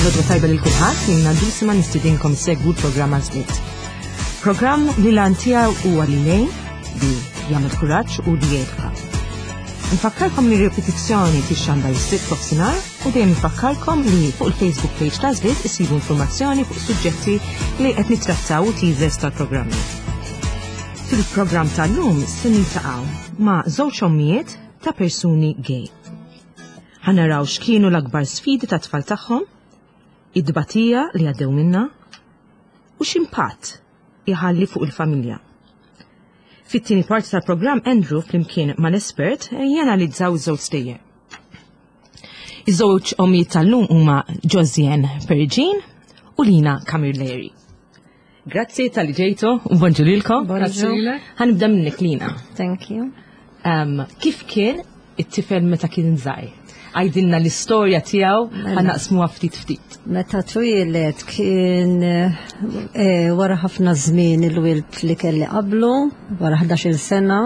L-għodwa tajba lil kulħadd, jien Dulcima nistidinkom segwu l-programm Għażliet. Programm li l-għan tiegħu huwa li lejn li jagħmel kuraġġ u li jeduka. Nfakkarkom li ripetizzjoni tixxandar is-sitt nofsinhar u dejjem nfakkarkom li fuq il-Facebook page ta' Żliet isibu informazzjoni fuq suġġetti li qed nittrattaw u teasers tal-programmi. Fil-programm tal-lum se niltaqgħu ma' żewġ ommijiet ta' persuni gay. Ħa naraw x'kienu l-akbar sfidi tat-tfal tagħhom, it-tbatija li għaddew minnha u x'impatt iħalli fuq il-familja. Fit-tieni parti tal-programm Andrew flimkien mal-espert janalizzaw iż-żewġ stejjer. Iż-żewġ ommijiet tal-lum huma Josiane Perigin u Lina Camilleri. Grazzi tal-li ġejtu u bonġu lilkom. Grazzi lilek. Ħanibda minnek Lina. Thank you. Um, kif kien it-tifel meta kien żgħir? Għajdilna l-istorja tiegħu mela. ħanaqsmuha ftit ftit. Meta twieled kien eh, wara ħafna żmien il-wild li kelli qablu, wara 11-il sena.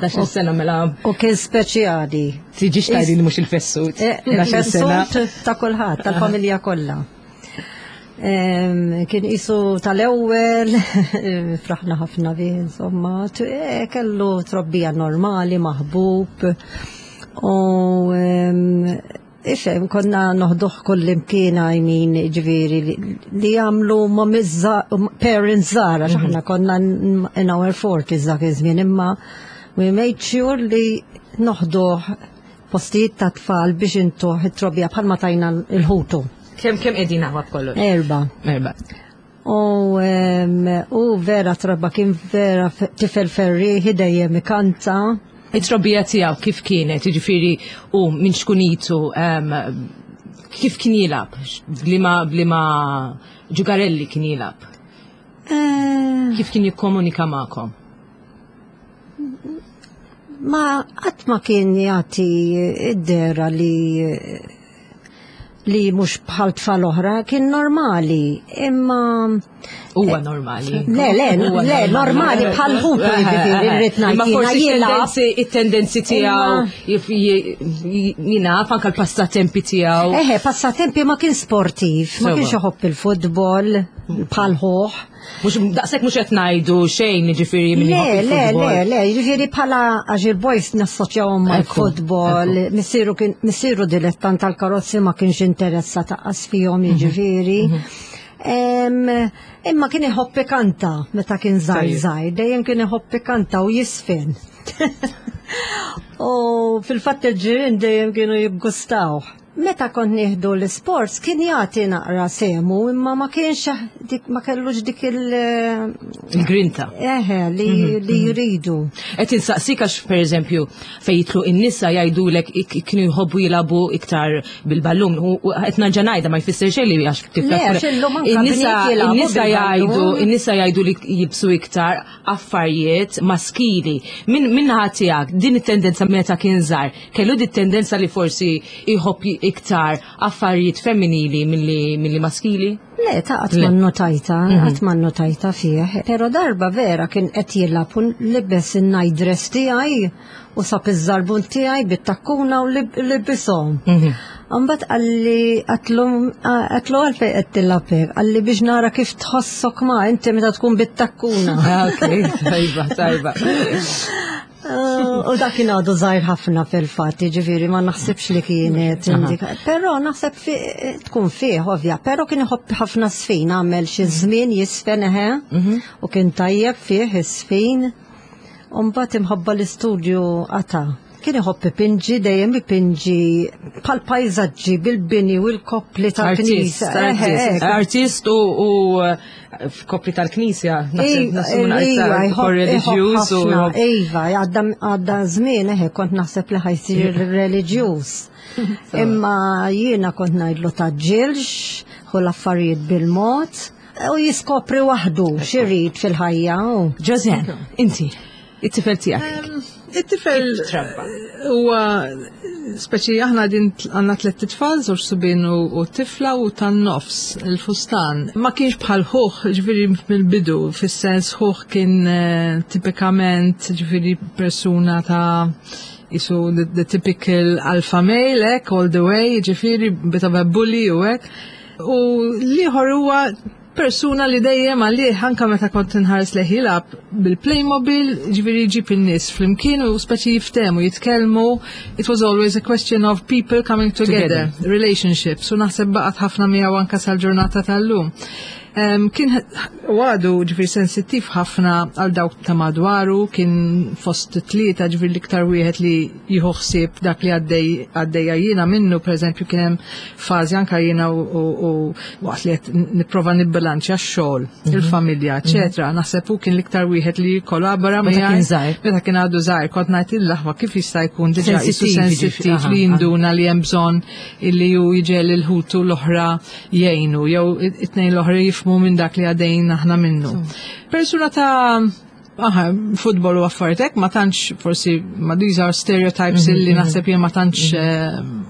11-il sena mela. U kien speċjali. Tiġix tgħidli mhux il-fessut. Eh, il-fessut ta' kulħadd, tal-familja kollha. Kien isu tal-ewwel, fraħna ħafna bih, insomma, eh, kellu trobbija normali, maħbub. U ifhem, konna noħduh kull imkien għajmin ġviri li jagħmlu ma parents żgħar għax aħna konna in our 40s dak iż-żmien imma we made sure li noħduh postijiet ta' tfal biex intuh it-trobbija bħalma tajna l-ħutu. Kemm kemm qegħdin aħwa b'kollox? Erba. Erba. U, u vera trabba kien vera tifel ferriħi dejjem ikanta. It-trobbija tiegħu kif kienet, jiġifieri u minn xkunitu kif kien jilgħab, bliema bliema ġugarelli kien jilgħab. Eh. Kif kien jikkomunika magħkom? Ma qatt ma kien jagħti id-dera li li mhux bħal tfal oħra kien normali, imma huwa normali. Le, le, le, normali bħal ħutu jiġifieri rrid ngħid. Imma forsi it-tendenzi tiegħu jiena anke l-passatempi tiegħu. Eħe, passatempi ma kien sportiv, ma kienx iħobb il-futbol bħal ħuħ. Mux daqshekk mhux qed ngħidu xejn jiġifieri minn Le, le, le, le, jiġifieri bħala għax il-boys nassoċjawhom mal-futbol, missieru kien missieru dilettant tal-karozzi ma kienx interessa taqqas fihom mhm. jiġifieri. Mhm. Imma kien iħobb ikanta meta kien żgħir żgħir, dejjem kien iħobb ikanta u jisfin. U fil-fatt il-ġirien dejjem kienu jiggustawh. Meta kont nieħdu l-isports kien jagħti naqra semu imma ma kienx dik ma kellux dik il- Il-grinta. Eħe li, mhm, li mhm. jridu. Qed insaqsik għax pereżempju fejn jitlu in-nisa jgħidulek kienu jħobbu jilagħbu iktar bil-ballun u qed nerġa' ngħidha ma jfisser xejn li għax In-nisa jgħidu in-nisa jgħidu li jibsu iktar affarijiet maskili. Min minnaħa tiegħek din it-tendenza meta kien żgħar, kellu din tendenza li forsi jħobb iktar affarijiet femminili milli maskili? Le, ta' qatt ma notajta, mhm. qatt ma notajta fih. Però darba vera kien qed jilgħab u libes in-night dress tiegħi u sab iż-żarbun tiegħi bit-takkuna u libishom. Mhm. Mbagħad qalli qatlu għalfejn qed tilgħab hekk, qalli biex nara kif tħossok ma inti meta tkun bit-takkuna. Ah, ok, tajba, tajba. Eh, u dak kien għadu żgħir ħafna fil-fatt, jiġifieri ma naħsibx li kienet indika. Però naħseb tkun fih ovvja, però kien iħobb ħafna sfin, għamel xi żmien jisfen eħe, mhm. u kien tajjeb fih is-sfin. U mbagħad imħabba l-istudju qata'. Kien iħobb ipinġi, dejjem ipinġi bħal pajżaġġi bil-bini u l-koppli tal-knisja. Artist, artist u f'koppli tal-knisja, naħseb reliġjuż u. Iva, għadda żmien eħe kont naħseb li ħajsir reliġjuż. Imma jiena kont ngħidlu taġġilx, hu l-affarijiet bil-mod. U jiskopri waħdu x'irid fil-ħajja. Ġożen, inti, it-tifel tiegħek. It-tifel huwa speċi aħna din għandna tliet titfal, żewġ subien u tifla u tan-nofs il-fustan. Ma kienx bħal ħuh, ġifieri mill-bidu, fis-sens ħuh kien eh, tipikament ġifieri persuna ta' jisu the, the typical alpha male, ek, all the way, ġifieri bit of a bully u hekk. U l-ieħor huwa persuna li dejjem għalih anka meta kont inħares lejh jilgħab bil-Playmobil, ġifieri jġib in-nies flimkien u speċi jiftehmu, jitkellmu. It was always a question of people coming together, relationships, u naħseb baqgħet ħafna miegħu anka sal-ġurnata tal-lum. Kien u għadu ġifieri sensittiv ħafna għal dawk ta' madwaru, kien fost tlieta ġifieri l-iktar wieħed li jieħu ħsieb dak li għaddej għaddejja jiena minnu, pereżempju kien hemm fażi anka jiena u waqt li qed nipprova nibbilanċja x-xogħol, il-familja, eċetera. Naħseb hu kien l-iktar wieħed li jikkollabora Meta kien żgħir. Meta kien għadu żgħir, kont ngħid il-laħwa kif jista' jkun diġà qisu Sensittiv, sensittiv li jinduna li hemm bżonn illi hu jiġel il-ħutu l-oħra jgħinu jew it-tnejn l-oħra jifhmu minn dak li għaddejn aħna minnu. Persuna ta' Aha, futbol u affarijiet hekk ma tantx forsi ma these are stereotypes illi naħseb jien ma tantx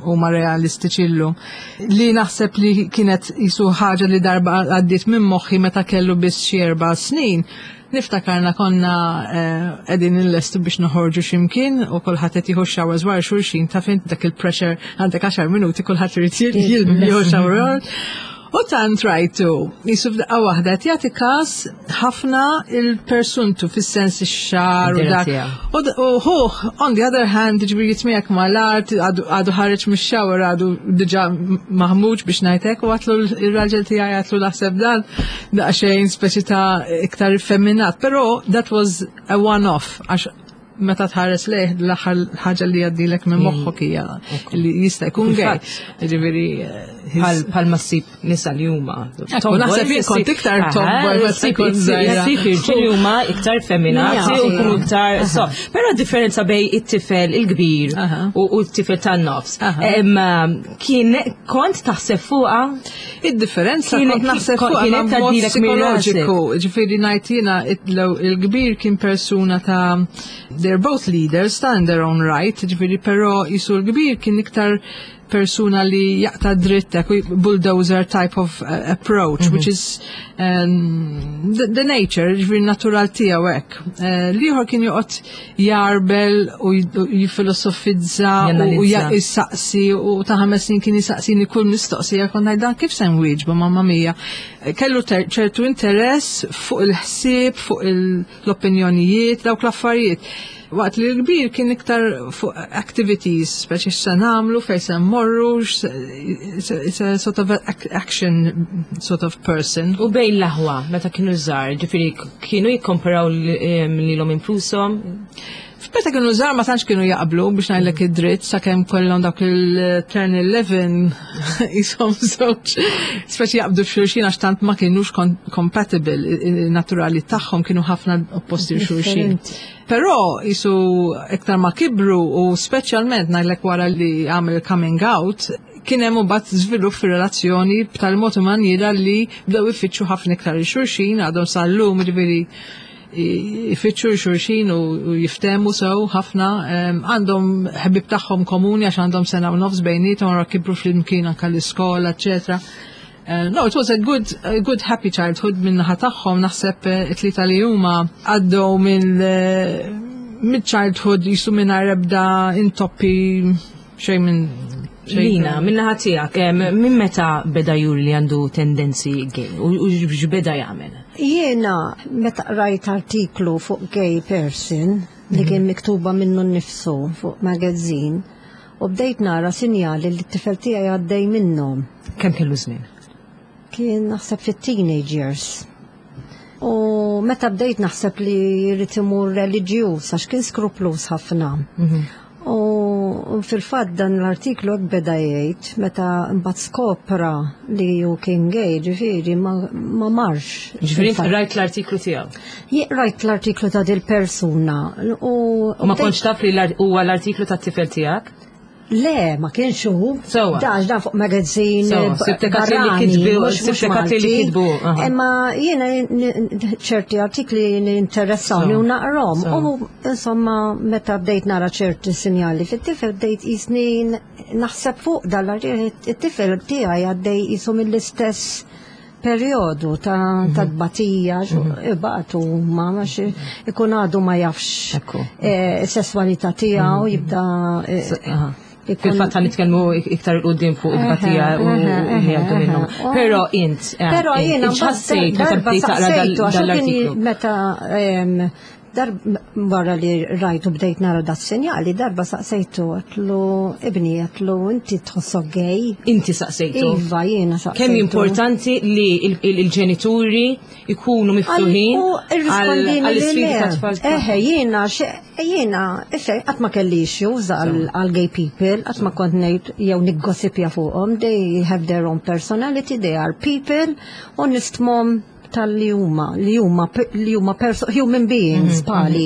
huma realistiċi llum. Li naħseb li kienet jisu ħaġa li darba għaddiet minn moħħi meta kellu biss xi 4 snin. Niftakarna konna qegħdin inlestu biex noħorġu x'imkien u kulħadd qed jieħu showers wara xulxin, taf int dak il-pressure, għandek 10 minuti, kulħadd irid jieħu shower. U tant rajtu, jisu f'daqqa waħda qed jagħti każ ħafna il-persuntu fis-sens ix-xagħar u dak. U hu, on the other hand, ġifieri jitmiegħek mal-art, għadu ħareġ mix-shower, għadu diġà maħmuġ biex ngħidlek, u għedtlu ir-raġel tiegħi, għedtlu naħseb dan daqsxejn speċi ta' iktar effeminat. Però that was a one-off, għax meta tħares lejh l-aħħar ħaġa li jgħaddilek minn moħħok hija li jista' jkun gay. Ġifieri Bħal ma ssib nisa li huma. Ekku, naħseb jien kont iktar tomboy meta kont żgħira. Ssib irġiel li huma iktar femminati u jkunu iktar soft. Però differenza bejn it-tifel il-kbir u t-tifel tan-nofs. Kien kont taħseb fuqha? Id-differenza kont naħseb fuqha kienet mod tgħaddilek minn rasek. psikoloġiku, ġifieri ngħid jiena il-kbir kien persuna ta' they're both leaders ta' in their own right, ġifieri però jisu l-kbir kien iktar persuna li jaqta dritt, bulldozer type of approach, which is the nature, ġifieri natural tiegħu hekk. L-ieħor kien joqgħod jarbel u jifilosofizza u Janalizza. Jisaqsi u ta' 5 snin kien jisaqsini kull mistoqsija, kont ngħid dan kif se nwieġbu, mamma mia. Kellu ċertu interess fuq il-ħsieb, fuq l-opinjonijiet, dawk l-affarijiet. Waqt li l-kbir kien iktar fuq activities, speċi x'se nagħmlu, fejn se mmorru, it's a sort of action sort of person. U bejn l-aħwa, meta kienu żgħar, ġifieri kienu jikkomparaw lilhom infushom? Meta kienu żgħar ma tantx kienu jaqblu biex ngħidlek id-dritt sakemm kollhom dak il-turn 11 jisom żewġ speċi jaqbdu f'xulxin għax tant ma kienux compatible, naturali tagħhom kienu ħafna opposti xulxin. Differenti. Però jisu iktar ma kibru u speċjalment ngħidlek wara li għamel coming out, kien hemm imbagħad żvilupp fir-relazzjoni b'tal mod u manjiera li bdew ifittxu ħafna iktar il-xulxin, għadhom sal-lum ġifieri ifittxu xulxin u jiftemu sew ħafna. Għandhom ħbib tagħhom komuni għax għandhom sena u nofs bejniethom, wara kibru flimkien anke l-iskola, eċetera. No, it was a good happy childhood minn naħa tagħhom, naħseb it-tlieta li huma għaddew minn childhood jisu minn ebda intoppi xejn minn xejn. Lina, minn naħa tiegħek, minn meta beda juri li għandu tendenzi gay u x'beda jagħmel? Jiena meta rajt artiklu fuq gay person li kien miktuba minnu nnifsu fuq magazine u bdejt nara sinjali li t-tifel tiegħi għaddej minnhom. Kemm kellu żmien? Kien naħseb fit-teenage years. U meta bdejt naħseb li jrid imur reliġjuż għax kien skruplus ħafna. U fil-fatt dan l-artiklu hekk beda jgħid meta mbagħad skopra li hu kien gay, ġifieri ma marx. Ġifieri inti rajt l-artiklu tiegħu. Jien rajt l-artiklu ta' dil persuna u U ma kontx taf li huwa l-artiklu tat-tifel tiegħek? Le, ma kienx hu. Sewwa. Dax dan fuq magazine Sewwa, sibtek għatli li barrani, mhux sibtek għatli li Malti. kitbu, aha. Imma jiena ċerti artikli interessawni u naqrom. Sewwa. U insomma, meta bdejt nara ċerti sinjali fit-tifel bdejt jisni naħseb fuq dal-artiklu, it-tifel tiegħi għaddej jisu mill-istess periodu ta' tbatija, ibatu ma għax ikun għadu ma jafx Ekku. sessualità tiegħu jibda Aha. Fil-fatt ħa nitkellmu iktar 'il quddiem fuq it-tbatija u li għaddu minnhom. Però int, Però jiena x'ħassejt meta bdejt taqra dal-artiklu? Meta darba wara li rajtu bdejt nara dat sinjali, darba saqsejtu għedtlu ibni għedtlu inti tħossok gay. Inti saqsejtu? Iva, jiena saqsejtu. Kemm importanti li il-ġenituri ikunu miftuħin għall-isfidi tat-tfal. Eħe, jiena jiena, issa qatt ma kelli issues għal gay people, qatt ma kont ngħid jew niggossipja fuqhom, they have their own personality, they are people, u nistmhom tal-li huma, li huma li huma human beings bħali.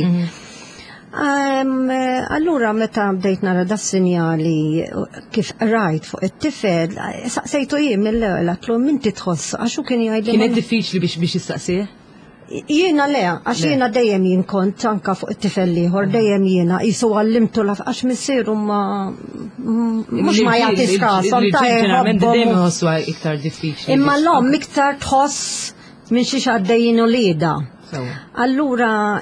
Allura meta bdejt nara da sinjali kif rajt fuq it-tifel, saqsejtu jien mill-ewwel għedtlu minti tħoss għax hu kien jgħidli. Kienet diffiċli biex jistaqsih? Jiena le, għax jiena dejjem jien kont anka fuq it-tifel ieħor, dejjem jiena jisu għallimtu laf għax missieru ma mhux ma jagħtix kasom ta' dejjem iħossu iktar diffiċli. Imma l-omm iktar tħoss minn xiex għaddejjin uliedha. Allura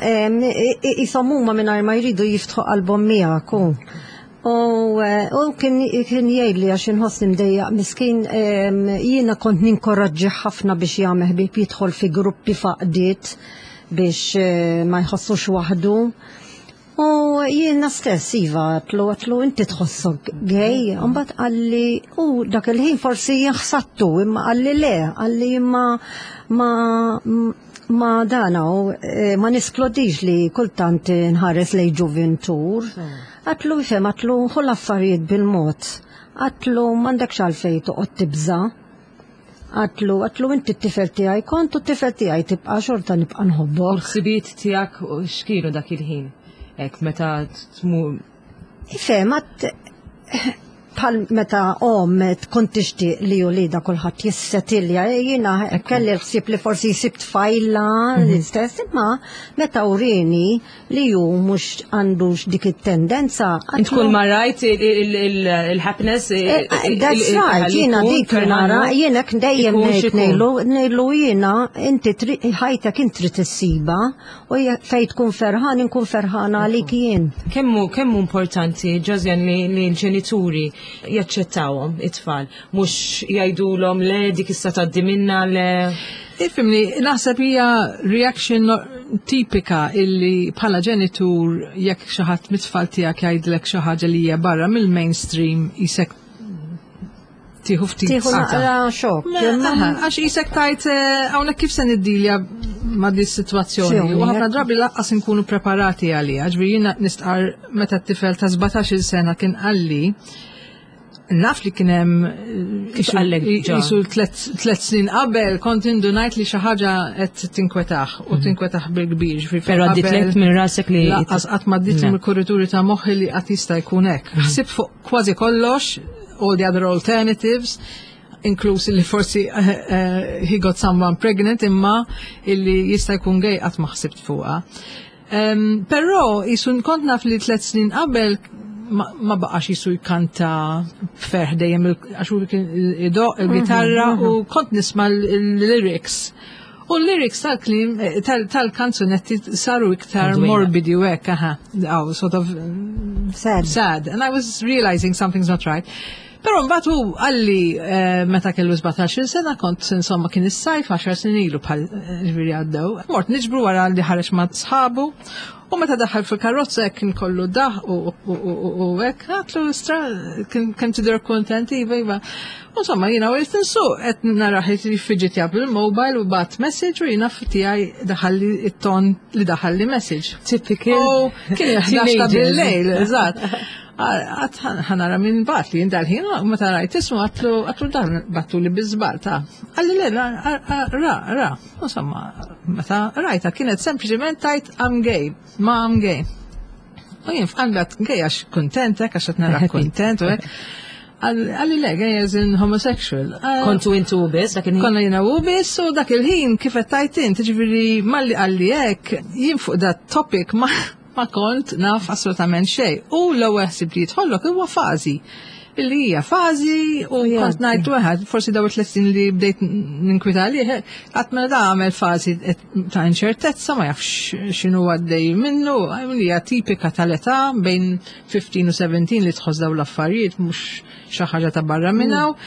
jisom huma mingħajr ma jridu jiftħu qalbhom miegħek u u kien jgħidli għax inħossni mdejjaq miskin jiena kont ninkoraġġi ħafna biex jagħmel ħbieb jidħol fi gruppi faqdiet biex ma jħossux waħdu. U jiena stess, iva, għedtlu, għedtlu, inti tħossok gay, mbagħad qalli, u dak il-ħin forsi jaħsattu, imma qalli le, qalli imma ma dana, u ma nisklodix li kultant nħares lej ġuvintur. Għedtlu, ifhem, għedtlu, ħu l-affarijiet bil-mod. Għedtlu, m'għandekx għalfejn toqgħod tibża. Għedtlu, għedtlu, inti t-tifel tiegħi kont u t-tifel tiegħi tibqa' xorta nibqa' nħobbok. U l-ħsibijiet tiegħek x'kienu dak il-ħin? Hekk meta tmur. Ifhem, għad bħal meta omm tkun tixtieq li uliedha kulħadd jissetilja, jiena kelli l-ħsieb li forsi jsib tfajla l-istess, imma meta urini li hu mhux għandux dik it-tendenza. Int kull ma rajt il-happiness. That's right, jiena dik nara, jiena dejjem ngħid ngħidlu ngħidlu jiena inti ħajtek int trid issiba u fejn tkun ferħan inkun ferħana għalik jien. Kemm hu importanti, Josianne, li l-ġenituri jaċċettawhom it-tfal, mhux jgħidulhom le dik issa tgħaddi minna le. Ifhimni, naħseb hija reaction tipika illi bħala ġenitur jekk xi ħadd mit-tfal tiegħek jgħidlek xi ħaġa li hija barra mill-mainstream isek tieħu ftit. Tieħu naqra xokk. Għax isek tajt hawnhekk kif se niddilja ma' di situazzjoni. U ħafna drabi lanqas nkunu preparati għaliha. Ġifieri jiena nistqar meta t-tifel ta' 17-il sena kien qalli naf li kien hemm Kif qallek ġa? jisu 3 snin qabel kont indunajt li xi ħaġa qed tinkwetah u tinkwetah bil-kbir. Ġifieri Però għadditlek minn rasek li. Lanqas qatt ma għaddiet mill-kurituri ta' moħħi li qatt jista' jkun hekk. Ħsib fuq kważi kollox, all the other alternatives, inkluż li forsi he got someone pregnant imma illi jista' jkun gay qatt ma ħsibt fuqha. Però jisu kont naf li 3 snin qabel ma baqax jisu jkanta ferħ dejjem għax hu kien idoqq il-gitarra u kont nisma' l-lyrics. U l-lyrics tal-klim tal-kanzunetti saru iktar morbidi u hekk, aha, oh, sort of sad. Sad. And I was realizing something's not right. Però mbagħad hu qalli meta kellu 17 sena kont insomma kien is-sajf 10 snin ilu bħal ġifieri għaddew. Mort niġbru wara li ħareġ ma' sħabu u meta daħal fil-karozza hekk kien kollu daħ u hekk għedtlu stra kien tidher kontent iva iva. U Insomma jiena u insuq qed narah jiffiġitja bil-mobile u bagħat message u jiena tiegħi daħalli it-ton li daħalli message. Typical. U kien il-11 ta' bil-lejl, eżatt. Għedt ħa nara min bagħat li dal-ħin, u meta rajt ismu għedtlu għedtlu dan bagħtu li bi żball ta' Qalli le, ra, ra. Insomma, meta rajta kienet sempliċement tajt I'm gay, ma I'm gay. U jien f'qalbi għedt gay għax kontent, għax qed nara kontent, u hekk. Qalli le, gay as in homosexual. Kontu intu biss, dak il-ħin? Konna jiena u biss u dak il-ħin kif qed tajt int, ġifieri malli qalli hekk, jien fuq dat topic ma kont naf assolutament xejn. U l-ewwel ħsieb li jidħollok huwa fażi. Illi hija fażi u kont ngħid waħed, forsi daw it-tliet li bdejt ninkwita għalih, qatt mela da għamel fażi ta' inċertezza ma jafx x'inhu għaddej minnu, li hija tipika tal-età bejn 15 u 17 li tħoss daw l-affarijiet mhux xi ħaġa ta' barra minnaw.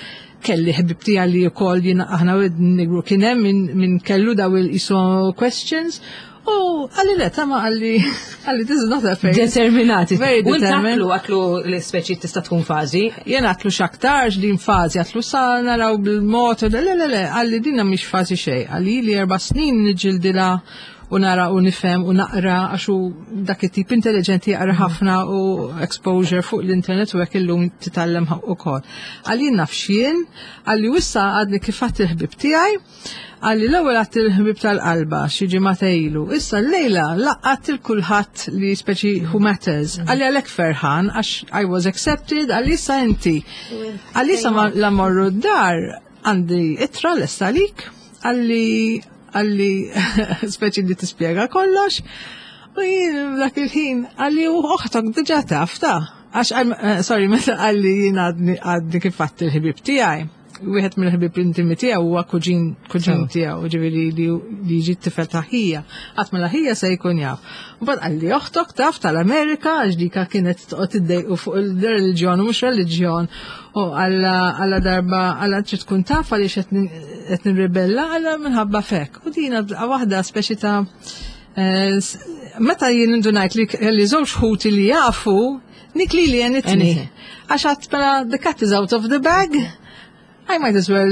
Kelli ħbib tiegħi li wkoll jiena aħna nigru kien hemm min kellu daw il-iso questions. U għalli le, tama għalli, għalli this is not a phase. Determinati. Very U determined. għatlu l-speċi tista' tkun fażi. Jien għatlu xaktarx din fażi, għatlu sa naraw bil-mod, le, le, le, għalli dinna mhix fażi xejn. Għalli li 4 snin niġġildilha u nara u nifhem u naqra għax hu dak it-tip intelligenti jaqra ħafna u exposure fuq l-internet u hekk illum titgħallem ukoll. Għalli naf x'jien, għalli issa għadni kif għadt il-ħbieb tiegħi, għalli l-ewwel għadt il-ħbieb tal-qalba xi ġimgħa ilu, issa llejla laqqat il kulħadd li speċi who matters. Għalli għalhekk ferħan għax I was accepted, għalli issa inti. Għalli issa la morru d-dar għandi ittra lesta għalik, għalli għalli speċi li tispjega kollox. U jien dak il-ħin għalli u oħtok diġà taf ta' għax sorry, meta għalli jien għadni kif għadt il-ħbieb tiegħi. Wieħed mill-ħbieb intimi tiegħu huwa kuġin tiegħu, ġifieri li jiġi t-tifel ta' ħija. Qatt mela ħija se jkun jaf. U bad għalli oħtok taf tal-Amerika għax dika kienet toqgħod iddejqu fuq il-reliġjon u mhux reliġjon. U għalla darba għalla trid tkun taf għaliex qed nirribella għalla minħabba fek. U dina waħda speċi ta' meta jien indunajt li kelli żewġ ħuti li jafu, nik li li għenitni. Għax għat mela the cat is out of the bag, I might as well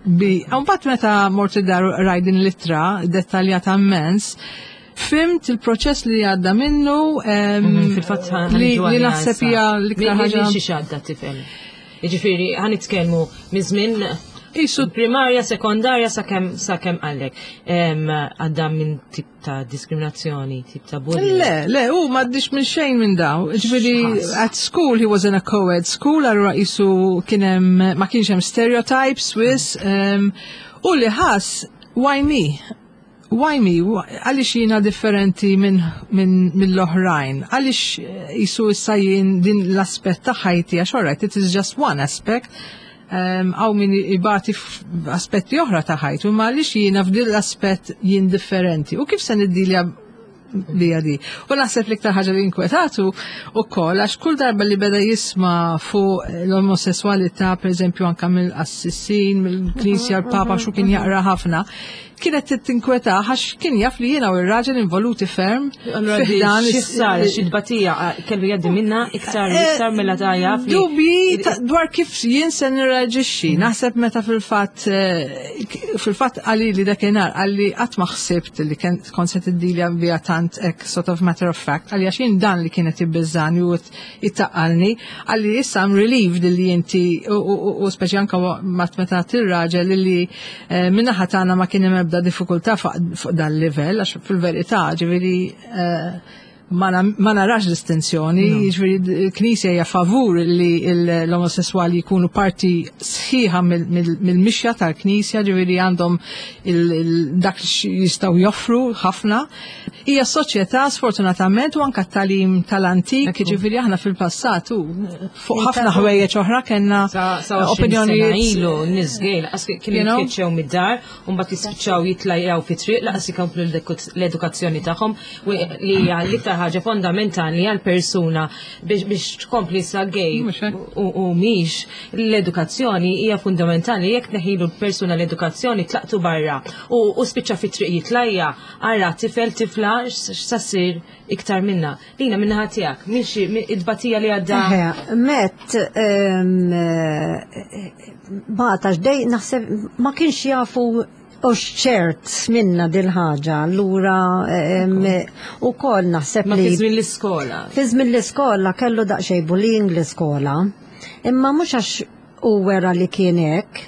be. Mbagħad meta mort id-dar rajt din l-ittra dettaljata immens, fimt il-proċess li għadda minnu, Fil-fatt li naħseb hija l-iktar ħaġa. Xi għadda tifel. Jiġifieri ħa nitkellmu minn żmien Isu primarja, sekondarja sakemm għallek. Għadda minn tip ta' diskriminazzjoni, tip ta' bullying. Le, le, u m'għaddix minn xejn minn daw. Ġifieri at school he was in a co-ed school, allura isu kien hemm ma kienx hemm stereotypes wis, u li ħass, why me? Why me? Għaliex jiena differenti mill-oħrajn? Għaliex jisu issa jien din l-aspett ta' ħajti, għax all right, it is just one aspect. Għaw min ibati f'aspetti oħra ta' ħajtu, ma għaliex jiena f'din l-aspett jien differenti? U kif se niddilja bija di? U naħseb l-iktar ħaġa li inkwetatu u koll, għax kull darba li beda jisma fuq l-omosessualità, per eżempju, anka mill-qassisin, mill-knisja, l-papa, xu kien jaqra ħafna, kienet tinkweta għax kien jaf li jiena u r-raġel involuti ferm. Allura fi ħdan xi sar, xi tbatija kellu jgħaddi minna iktar u iktar mela ta' jaf li Dubji dwar kif jien se nirreaġixxi. Naħseb meta fil-fatt għalli li dakinhar għalli qatt ma ħsibt li kont se tiddilja bija tant hekk sort of matter of fact, għalli għax jien dan li kienet ibbiżani u ittaqalni, għalli issa I'm relieved li inti u speċi anka meta tir-raġel li minnaħa tagħna ma kien hemm ebda diffikultà fuq dan livell, għax fil-verità ġifieri ma narax distinzjoni, ġifieri l-Knisja hija favur li l-omosessuali jkunu parti sħiħa mill-mixja tal-Knisja, ġifieri għandhom dak li jistgħu joffru ħafna. Hija soċjetà sfortunatament u anka t-tagħlim tal-antik, ġifieri aħna fil-passat u fuq ħafna ħwejjeġ oħra kellna Sa 20 opinjonijiet. sena ilu nies gay laqas kienu You know? jitkeċċew mid-dar u mbagħad jispiċċaw jitlajjaw fi triq laqas ikomplu l-edukazzjoni tagħhom u li hija l-iktar ħaġa fondamentali għal persuna biex tkompli sa gay Mhux hekk. u mhix l-edukazzjoni hija fundamentali. Jekk neħilu l-persuna l-edukazzjoni tlaqtu barra u spiċċa fi triq jitlajja, ara tifel tifla x'sa ssir iktar minna. Lina, minna tiegħek, minn xi id-batija li għadda. Eħe, met, bata x'dej naħseb ma kienx jafu u ċert minna dil-ħaġa, allura, u kol naħseb Ma li fi żmien l-iskola. Fi żmien l-iskola kellu daqsxejn bullying l-iskola, imma mhux għax u wera li kien hekk,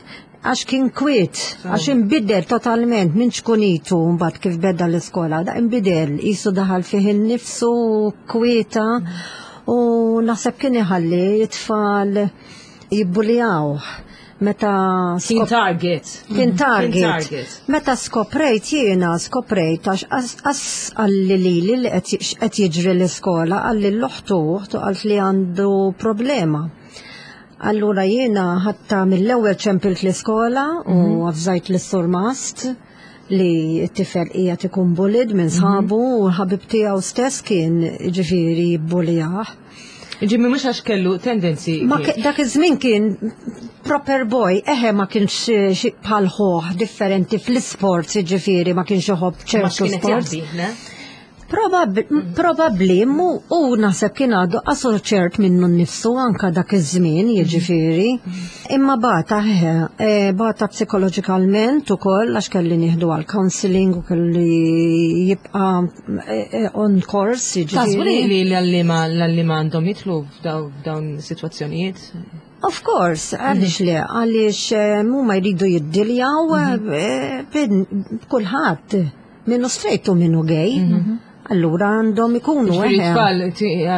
għax kien kwiet, għax inbidel totalment minn ċkunitu mbagħad kif beda l-iskola, da inbidel, qisu daħal fih innifsu kwieta u naħseb kien iħalli it-tfal jibbulijawh. Meta Kien target. Kien target. Kien target. Meta skoprejt jiena, skoprejt għax as għalli li li li qed jiġri l-iskola, għalli l-oħtu, oħtu qalt li għandu problema. Allura jiena ħatta mill-ewwel ċempilt l-iskola u avżajt lis-surmast li t-tifel qiegħed ikun bullied minn sħabu u l-ħabib tiegħu stess kien ġifieri jibbulijah. Ġimmi mhux għax kellu tendenzi. Ma dak iż-żmien kien proper boy, eħe ma kienx xi bħal ħuh differenti fl-isports, ġifieri ma kienx iħobb ċertu sports. Probabbli, mu u naħseb kien għadu qasu ċert minnu nnifsu anka dak iż-żmien, jiġifieri. Imma bata, eħe, bata psikoloġikalment ukoll għax kelli nieħdu għal counseling u kelli jibqa' on course, jiġifieri. Taħsbu li l-għalliema l-għalliema għandhom jidħlu f'dawn is-sitwazzjonijiet? Of course, għaliex le, għaliex huma jridu jiddiljaw b'kulħadd. Minnu straight u minnu gay. Allura għandhom ikunu. Ġifieri tfal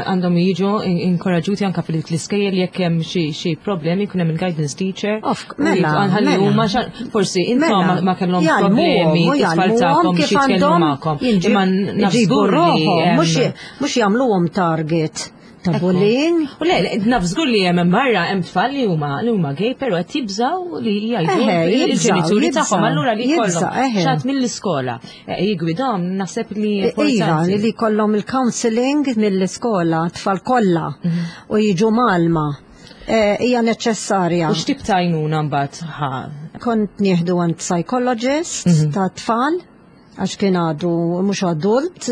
għandhom jiġu inkoraġġuti anka fil-iskejjel jekk hemm xi problemi jkun hemm il-guidance teacher. Mela, Ħalli mela. huma forsi intom Mela. ma kellhom Jgħallmuhom, problemi u t-tfal jgħallmuhom tagħkom kif biex jitkellmu għandhom magħkom. jinġib- Imma naf iġibu żgur li ruħhom, hemm mhux jagħmluhom target ta' bullying. U le, le, naf żgur li hemm barra hemm tfal li huma li huma gay, però qed jibżgħu li jgħidu Eħe, il-ġenituri jibżgħu, tagħhom allura li jibżgħu, jkollhom eħe. xi ħadd mill-iskola jigwidhom naħseb li Iva, importanti. li jkollhom il-counseling mill-iskola, tfal kollha u jiġu malma. Hija neċessarja. U x'tip ta' għajnuna mbagħad ħa? Kont nieħdu għand psychologist ta' tfal, għax kien għadu mhux adult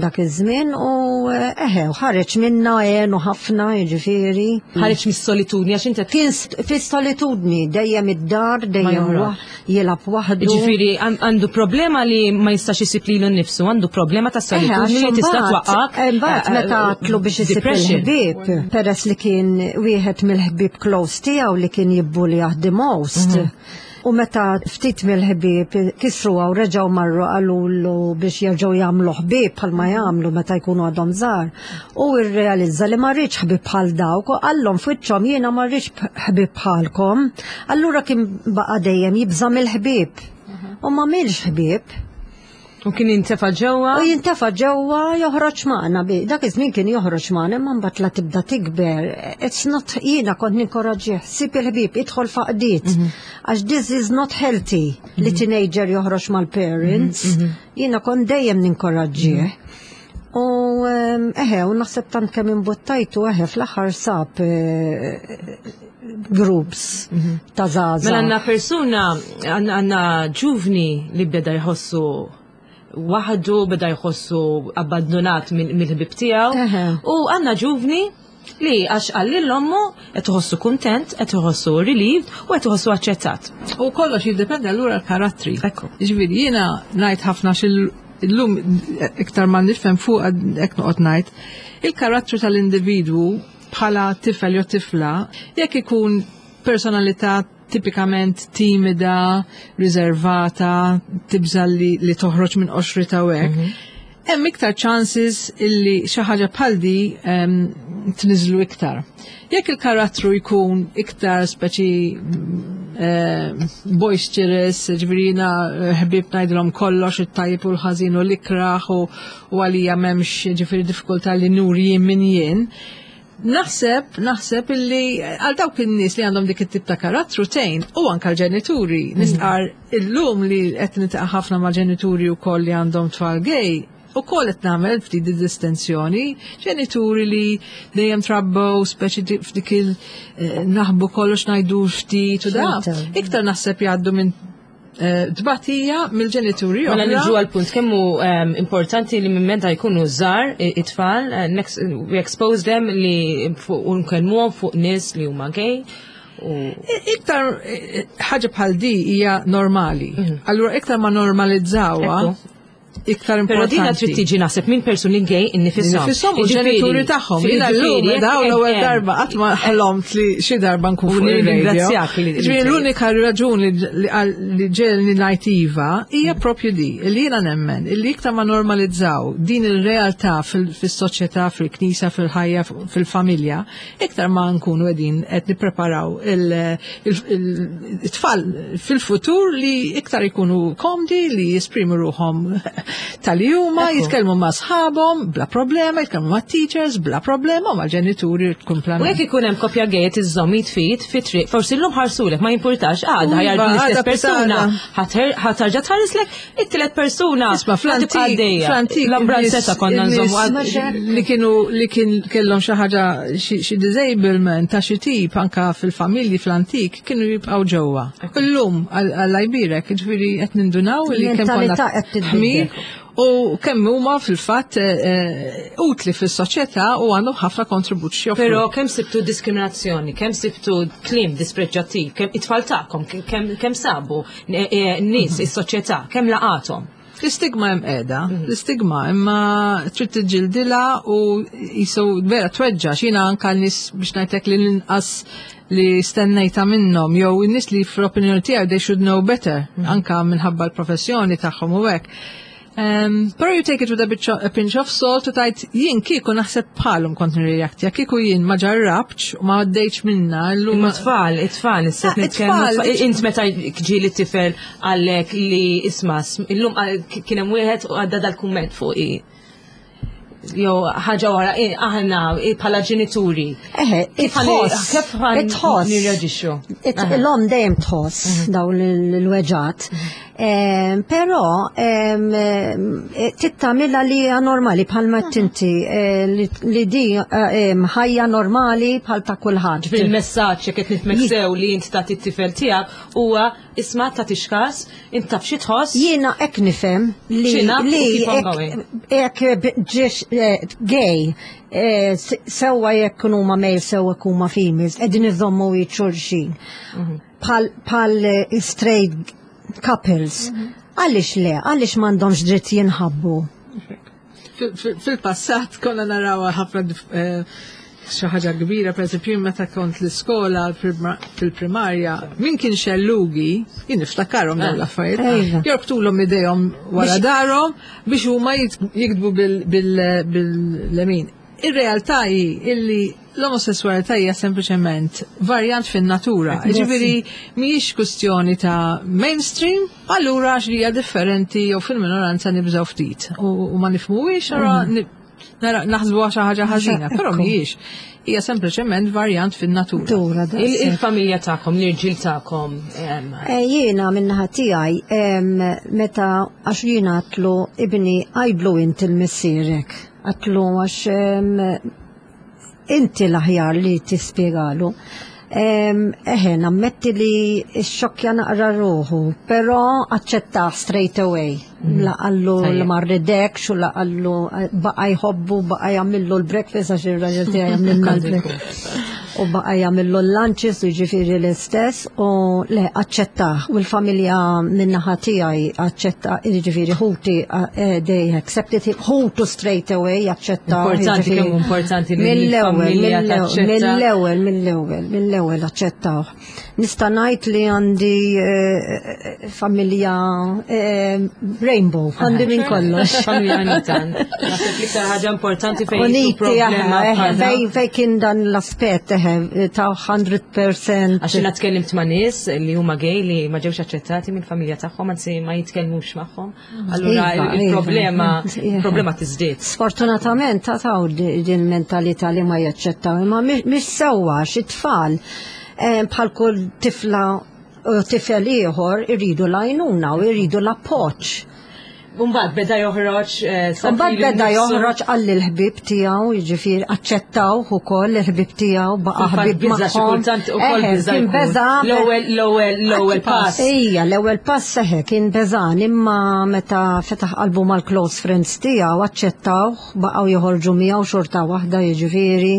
dak iż-żmien u eħe, u ħareġ minna għenu ħafna, jiġifieri. Ħareġ mis-solitudni għax inti Kien fis-solitudni, dejjem id-dar, dejjem joħroġ. jilgħab waħdu. Jiġifieri għandu problema li ma jistax isib lilu nnifsu, għandu problema ta' Eħe, solitudni li għax tista' imbagħad- twaqqak. Imbagħad meta għatlu biex isib depression. il-ħbieb, peress li kien wieħed mill-ħbieb close tiegħu li kien jibbulih the most. U meta ftit mill-ħbieb kisru u reġgħu marru qalulu biex jerġgħu jagħmlu ħbieb bħalma jagħmlu meta jkunu għadhom żgħar. U rrealizza li ma rridx ħbieb bħal dawk u qallhom f'wiċċhom jiena ma rridx ħbieb bħalkom. Allura kien baqa' dejjem jibża' mill-ħbieb. U ma għamilx ħbieb. U kien jintefa' ġewwa? U jintefa' ġewwa joħroġ magħna bi. Dak iż-żmien kien joħroġ magħna, imma mbagħad la tibda tikber. It's not, jiena kont ninkoraġġih, sib il-ħbieb, idħol f'għaqdiet. Għax this is not healthy li teenager joħroġ mal-parents. Jiena kont dejjem ninkoraġġih. U eħe, u naħseb tant kemm imbuttajtu, eħe, fl-aħħar sab groups ta' żgħażagħ. Mela għandna persuna, għandna ġuvni li beda jħossu waħdu, beda jħossu abbandonat mill-ħbib tiegħu. U għandna ġuvni li għax qalli l-ommu qed iħossu kuntent, qed iħossu relieved u qed iħossu aċċettat. U kollox jiddependi allura l-karattri. Ekku. Ġifieri jiena ngħid ħafna xil illum iktar ma nifhem fuq hekk noqgħod ngħid, il-karattru tal-individwu bħala tifel jew tifla, jekk ikun personalità tipikament timida, riservata, tibża li toħroġ minn qoxrita u hekk, hemm iktar chances illi xi ħaġa bħal di tniżlu iktar. Jekk il-karattru jkun iktar speċi boisterous, ġifieri jiena ħbieb ngħidilhom kollox it-tajjeb u l-ħażin u l-ikraħ u għalija m'hemmx ġifieri diffikultà li nuri jien min jien. Naħseb illi għal dawk in-nies li għandhom dik it-tip ta' karattru tgħin u anke l-ġenituri. Nistqar illum li qed niltaqa' ħafna ma' ġenituri wkoll li għandhom tfal gay, u koll qed nagħmel ftit di distinzjoni, ġenituri li dejjem trabbew speċi f'dik il naħbu kollox ngħidu ftit u da. Ċerta. Iktar naħseb jgħaddu minn tbatija mill-ġenituri Mela oħra. niġu għal punt kemm hu importanti li minn meta jkunu żgħar it-tfal, we expose them li fuq u nkellmuhom fuq nies li huma gay. U Iktar ħaġa bħal di hija normali. Allura iktar ma normalizzawha, iktar Però dina importanti. trid tiġi naħseb minn persuni gay innifisom. Innifisom u Jiġifieri, ġenituri tagħhom. Jiena jiġifieri, llum jekk dawn l-ewwel hemm darba qatt ma ħlomt li xi darba nkun U fuq ir-radio. nirringrazzjak li Jiġifieri l-unika raġuni li ġelni ngħid iva hija propju di, li jiena nemmen, li iktar ma normalizzaw din ir-realtà fis-soċjetà, fil-knisja, fil-ħajja, fil-familja, iktar ma nkunu qegħdin qed nippreparaw it-tfal fil-futur li iktar ikunu komdi li jesprimu ruħhom Tal-li huma jitkellmu ma' sħabhom bla problema, jitkellmu ma' teachers bla problema, ma' ġenituri kumplament. U jekk ikun hemm koppja gay qed iżżomm jitfit fi triq, forsi llum ħarsulek ma jimpurtax għadha iva, ħajardu l-istess persuna, ħatarġa tħarislek it-tielet persuna. Isma' fl-antik, fl-antik l-ambranzetta konna nżommu li kienu li kien kellhom xi ħaġa xi disablement ta' xi tip anka fil-familji fl-antik kienu jibqgħu ġewwa. Illum Alla jbierek, ġifieri qed nindunaw li kemm konna ħmir u kemm huma fil-fatt eh, eh, utli fis-soċjetà u għandhom ħafna kontribut x'joffru. Però kemm sibtu diskriminazzjoni, kemm sibtu kliem dispreġġattiv, kemm it-tfal tagħkom, kemm sabu eh, nies is-soċjetà, kemm laqathom? L-istigma hemm qiegħda, mhm. l-istigma imma trid tiġġildilha u jisu vera tweġġa' x'jiena anke nies biex ngħidlek li l-inqas li stennejta minnhom jew in-nies li fl-opinjoni tiegħi they should know better mhm. anka minħabba l-professjoni tagħhom u hekk. Um, pero you take it with a, bit a pinch of salt u tajt jien kieku naħseb bħalhom kont nirreaktja, kieku jien ma ġarrabx u ma għaddejtx minna. Imma tfal, it-tfal, issa ah, nitkellmu. Int meta ġieli tifel għallek li isma' illum kien hemm wieħed u għadda dal-kumment fuq jew ħaġa wara aħna bħala ġenituri. Eħe, itħoss. Kif itħoss. Nirreġixxu. L-om dejjem tħoss mhm. dawn l-weġat. Mhm. Però eh, tittamilla li hija normali bħalma mhm. tinti eh, li di eh, ħajja normali bħal ta' kulħadd. Fil-messaġġ jekk qed nifhmek sew li int tagħti t-tifel tiegħek huwa isma' tagħtix każ, int taf xi tħoss. Jiena hekk nifhem li li hekk ġiex eh, gay eh, sewwa jekk huma male sewwa jekk huma females qegħdin iżommu xulxin. Mhm. Bħal eh, straight couples. Mhm. Għaliex le, għaliex m'għandhomx dritt jinħabbu? Fil-passat konna naraw ħafna eh, xi ħaġa kbira, pereżempju meta kont l-iskola fil-primarja, min kien xellugi, jien niftakarhom dawn l-affarijiet, jorbtulhom idejhom wara darhom biex huma jiktbu bil-lemin. Ir-realtà hi illi l-omosessualità hija sempliċement varjant fin-natura. Ġifieri mhijiex kwistjoni ta' mainstream, allura għax hija differenti jew fil-minoranza nibżgħu ftit. U ma nifhmuhiex ara mhm. naħsbu xi ħaġa ħażina, però mhijiex. Hija sempliċement varjant fin-natura. Il-familja tagħkom, l-irġiel tagħkom. Eh, jiena min-naħa tiegħi meta għax jiena għatlu ibni għajdlu int il-missierek. Għatlu għax inti l-aħjar li tispjegalu. Eħe, nammetti li xokja naqra ruħu, pero aċċettaħ straight away. Mm. La qallu li ma rridekx u la qallu eh, baqa jħobbu, baqa jagħmillu l-breakfast għax ir-raġel tiegħi jagħmilna l-breakfast. U baqa jagħmillu l-lunches u jiġifieri l-istess u le aċċettaħ u l-familja min-naħa tiegħi aċċetta jiġifieri ħuti eh, they accepted him ħutu straight away aċċetta. Importanti kemm importanti li mill-ewwel mill-ewwel mill-ewwel mill-ewwel aċċettaw. Nista' ngħid li għandi eh, familja eh, rainbow, għandi minn kollox. Familja unita. Naħseb l-iktar ħaġa importanti fejn Uniti, fej fej kien dan l-aspett ta' 100%. Għax jiena tkellimt ma' nies li huma gay li ma ġewx aċċettati mill-familja tagħhom, anzi ma jitkellmux magħhom. Allura iva, iva. il-problema iva. problema tiżdied. Sfortunatament ta' taw din mentalità li ma jaċċettaw, imma mhix sewwa xi tfal eh, bħal kull tifla u tifel ieħor iridu l-għajnuna u jridu l-appoġġ. Mbagħad beda joħroġ. Eh, Mbagħad beda joħroġ għall il-ħbib tiegħu, jiġifieri aċċettaw ukoll il-ħbib tiegħu baqa' ħbib magħhom. Kultant ukoll biża' biża'. L-ewwel l-ewwel l-ewwel pass. Ejja, l-ewwel pass seħe kien beżan imma meta fetaħ qalbu mal-close friends tiegħu aċċettaw baqgħu joħorġu miegħu xorta waħda jiġifieri.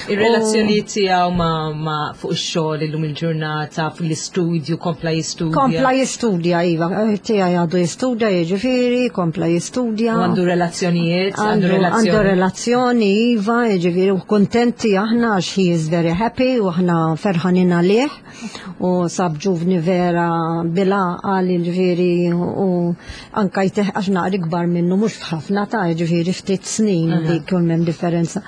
Ir-relazzjonijiet tiegħu ma' fuq ix-xogħol illum il-ġurnata, fl-istudju, kompla jistudja. Kompla jistudja, iva, eh, tiegħi għadu jistudja, jiġifieri, kompla jistudja. Għandu relazzjonijiet, għandu relazzjoni. Għandu relazzjoni, iva, jiġifieri, u kuntenti aħna għax he is very happy u aħna ferħanin għalih u sab ġuvni vera bila għal jiġifieri u anka jteħ għax naqri kbar minnu mhux f'ħafna ta' jiġifieri ftit snin li jkun hemm differenza.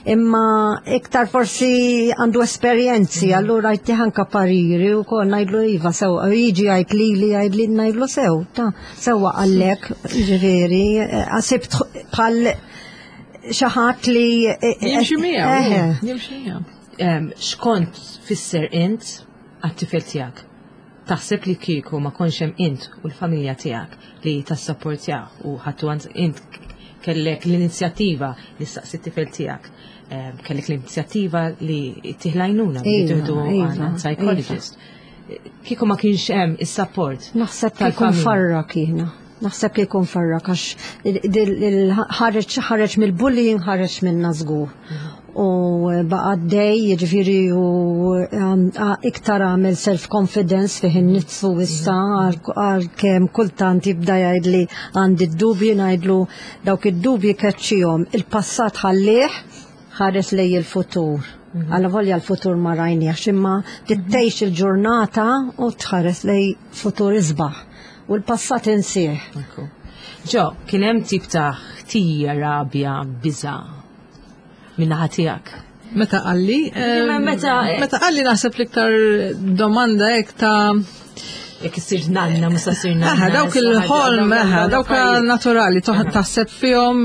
Imma iktar forsi għandu esperjenzi, mm. allura jtih anka pariri u kol ngħidlu iva sew, jiġi jgħid li li jgħid li ngħidlu sew, ta' sewwa għallek. Ġifieri, sibt bħal xi ħadd li Jimxi miegħu. Jimxi miegħu. X'kont tfisser int għat-tifel tiegħek? Taħseb li kieku ma kontx hemm int u l-familja tiegħek li tassapportjah u ħadtu għand int kellek l-inizjattiva li staqsi t-tifel tiegħek, kellek l-inizjattiva li ttih l-għajnuna li tieħdu għand psychologist. Kieku ma kienx hemm is-support. Naħseb kieku nfarrak jiena. Naħseb kieku nfarrak għax ħareġ ħareġ mill-bullying, ħareġ minna żgur. U baqa' għaddej, jiġifieri, u iktar għamel self-confidence fih innifsu issa, għalkemm kultant jibda jgħidli għandi d-dubji, ngħidlu dawk id-dubji keċċihom. Il-passat ħallih, ħares lejn il-futur. Allavolja l-futur ma rajniex, imma tgħix il-ġurnata u tħares lejn futur isbaħ. U l-passat insih. Ġo, kien hemm tip ta' ħtija, rabja, biża' min-naħa tiegħek? Meta qalli? Meta qalli, naħseb l-iktar domanda hekk ta' jekk issir nanna, mhux ssir nanna. Aha, dawk il-ħolm, aha, dawk naturali, taħseb fihom,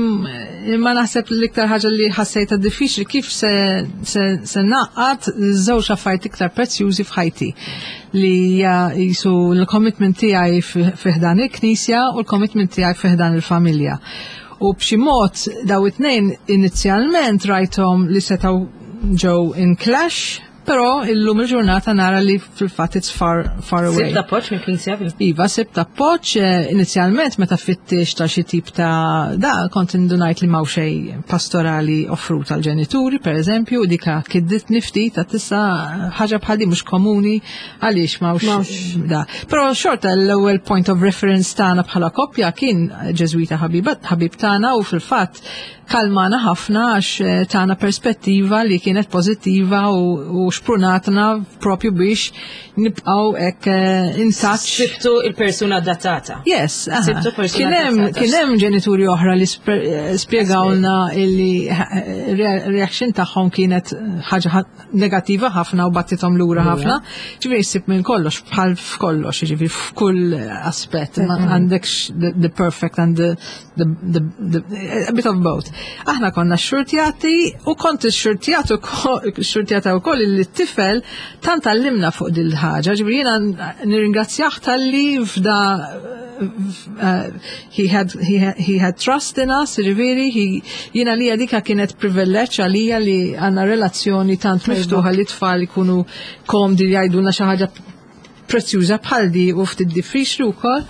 imma naħseb l-iktar ħaġa li ħassejta diffiċli kif se naqgħad żewġ affarijiet iktar prezzjużi f'ħajti li hija jisu l-commitment tiegħi fi ħdan il-Knisja u l-commitment tiegħi fi ħdan il-familja. U b'xi mod daw it-tnejn inizjalment rajthom li setgħu ġew in clash, però illum il-ġurnata nara li fil-fatt it's far, far away. Sibt appoġġ mill-Knisja fil Iva, sibt appoġġ inizjalment meta fittixt ta' xi tip ta' da kont indunajt li m'hawn xejn pastorali offrut għal ġenituri, per eżempju, dika kidditni ftit ta' tissa ħaġa bħal di mhux komuni, għaliex m'hawnx da. Però xorta l-ewwel point of reference tagħna bħala koppja kien Ġeżwita ħabib tagħna u fil-fatt kalmana ħafna għax tana perspettiva li kienet pozittiva u xprunatna propju biex nibqaw hekk in touch. Sibtu il-persuna adattata. Yes, aha. Sibtu persuna Kien hemm adattata. Kien hemm ġenituri oħra li spjegawlna illi reaction tagħhom kienet ħaġa negattiva ħafna u battithom lura ħafna. Ġifieri ssib minn kollox, bħal f'kollox, ġifieri f'kull aspett. Ma għandekx the perfect and the a bit of both. Aħna konna xurtjati u kont xurtjat u xurtjata wkoll li t-tifel tant għallimna fuq dil-ħaġa, ġifieri jiena nirringrazzjah talli fda he had trust in us, ġifieri, jiena li dika kienet privileġġ għalija li għandna relazzjoni tant miftuħa li tfal ikunu komdi li jgħidulna xi ħaġa prezzjuża bħal di u ftit diffiċli wkoll.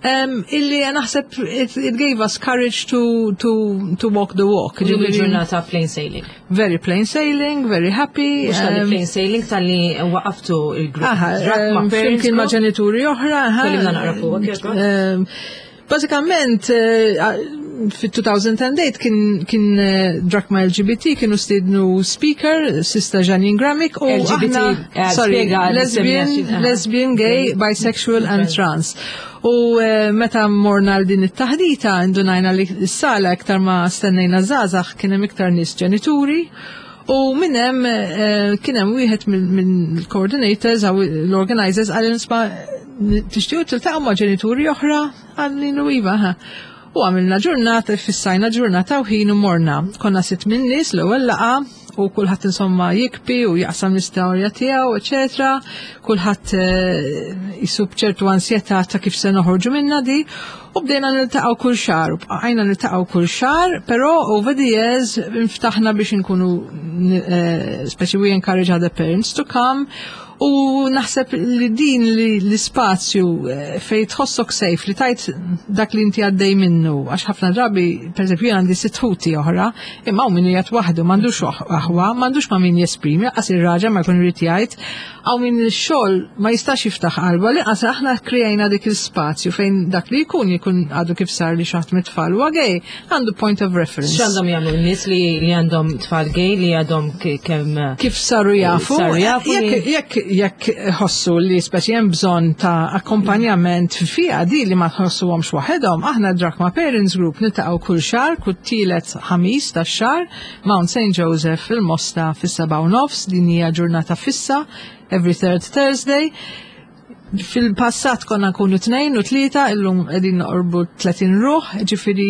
Illi naħseb it gave us courage to walk the walk. Illum il-ġurnata plain sailing. Very plain sailing, very happy. Mhux talli plain sailing, talli waqaftu il-grupp. Aha, Drachma Parents flimkien ma' Group. ġenituri oħra. Aha. Kellimna naqra fuq, jogħġbok. Bażikament, fit-2008 kien Drachma LGBT kienu stidnu speaker, Sister Janine Gramick, u LGBT, aħna, sorry, spiega lesbian, l-semmijaċin, aha. lesbian, gay, bisexual and trans. U meta morna l din it-taħdita, indunajna li s-sala iktar ma stennejna żgħażagħ, kien hemm iktar nies ġenituri. U minn hemm kien hemm wieħed mill-coordinators aw l-organizers qal, "Isma', tixtiequ tiltaqgħu ma' ġenituri oħra?" Għalli iva, ha. U għamilna ġurnata, fissajna ġurnata u ħin u morna. Konna sitt minn nies l-ewwel laqgħa u kulħadd insomma jibki u jaqsam l-istorja tiegħu, eċetera. Kulħadd jisub ċertu ansjetà ta' kif se noħorġu minna di. U bdejna niltaqgħu kull xahar, u bqajna niltaqgħu kull xahar, però over the years inftaħna biex inkunu speċi we encourage other parents to come. U naħseb li din li l-ispazju fej tħossok safe li tgħid dak li inti għaddej minnu, għax ħafna drabi, per eżempju, jien għandi sitt ħuti oħra, imma hawn min jgħid waħdu, m'għandux aħwa, m'għandux ma' min jesprimi, lanqas ir-raġel ma jkun irid jgħid, hawn min ix-xogħol ma jistax jiftaħ qalba, li qas aħna krejna dik il-spazju fejn dak li jkun jkun għadu kif sar li xi ħadd mit-tfal huwa gay, għandu point of reference. X'għandhom jagħmlu n-nies li għandhom tfal gay li għadhom kemm kif saru jafu? Saru jafu Jekk ħossu li speċi hemm bżonn ta' akkompanjament fiha di li ma tħossuhomx waħedhom, aħna Drachma Parents Group niltaqgħu kull xahar, kull tielet Ħamis tax-xahar, Mount St. Joseph fil-Mosta fis-7:30, din hija ġurnata fissa, every third Thursday. Fil-passat konna nkunu tnejn u tlieta, illum qegħdin noqorbu 30 ruħ, ġifieri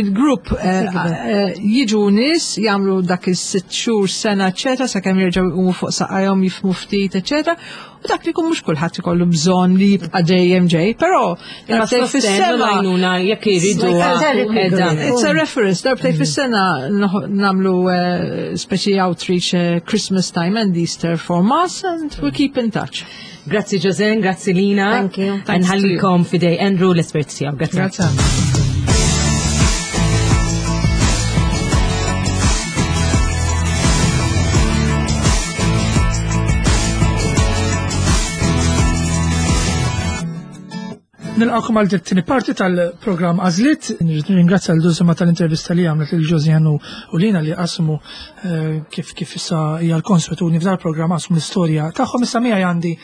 il-grupp eh, eh, jiġu nies jagħmlu dak is-sitt xhur, sena, eċetera, sakemm jerġgħu jqumu fuq saqajhom jifhmu ftit, eċetera. U dak li jkun mhux kulħadd ikollu bżonn li jibqa' dejjem ġej, però darbtej fis-sena jekk iridu. It's a reference, darbtej fis-sena nagħmlu eh, speċi outreach Christmas time and Easter for mass and we keep in touch. Grazzi Josen, grazzi Lina. Thank you. Nħallikom fidej Andrew l-espert tiegħu. Grazzi. Grazzi. Nilqakom għal tieni parti tal-programm Għażliet. Nirringrazzja l Dulsima tal-intervista li għamlet lil Josiane u Lina li qasmu eh, kif kif issa hija l-konswetudni f'dal programm qasmu l-istorja tagħhom. Issa miegħi għandi eh,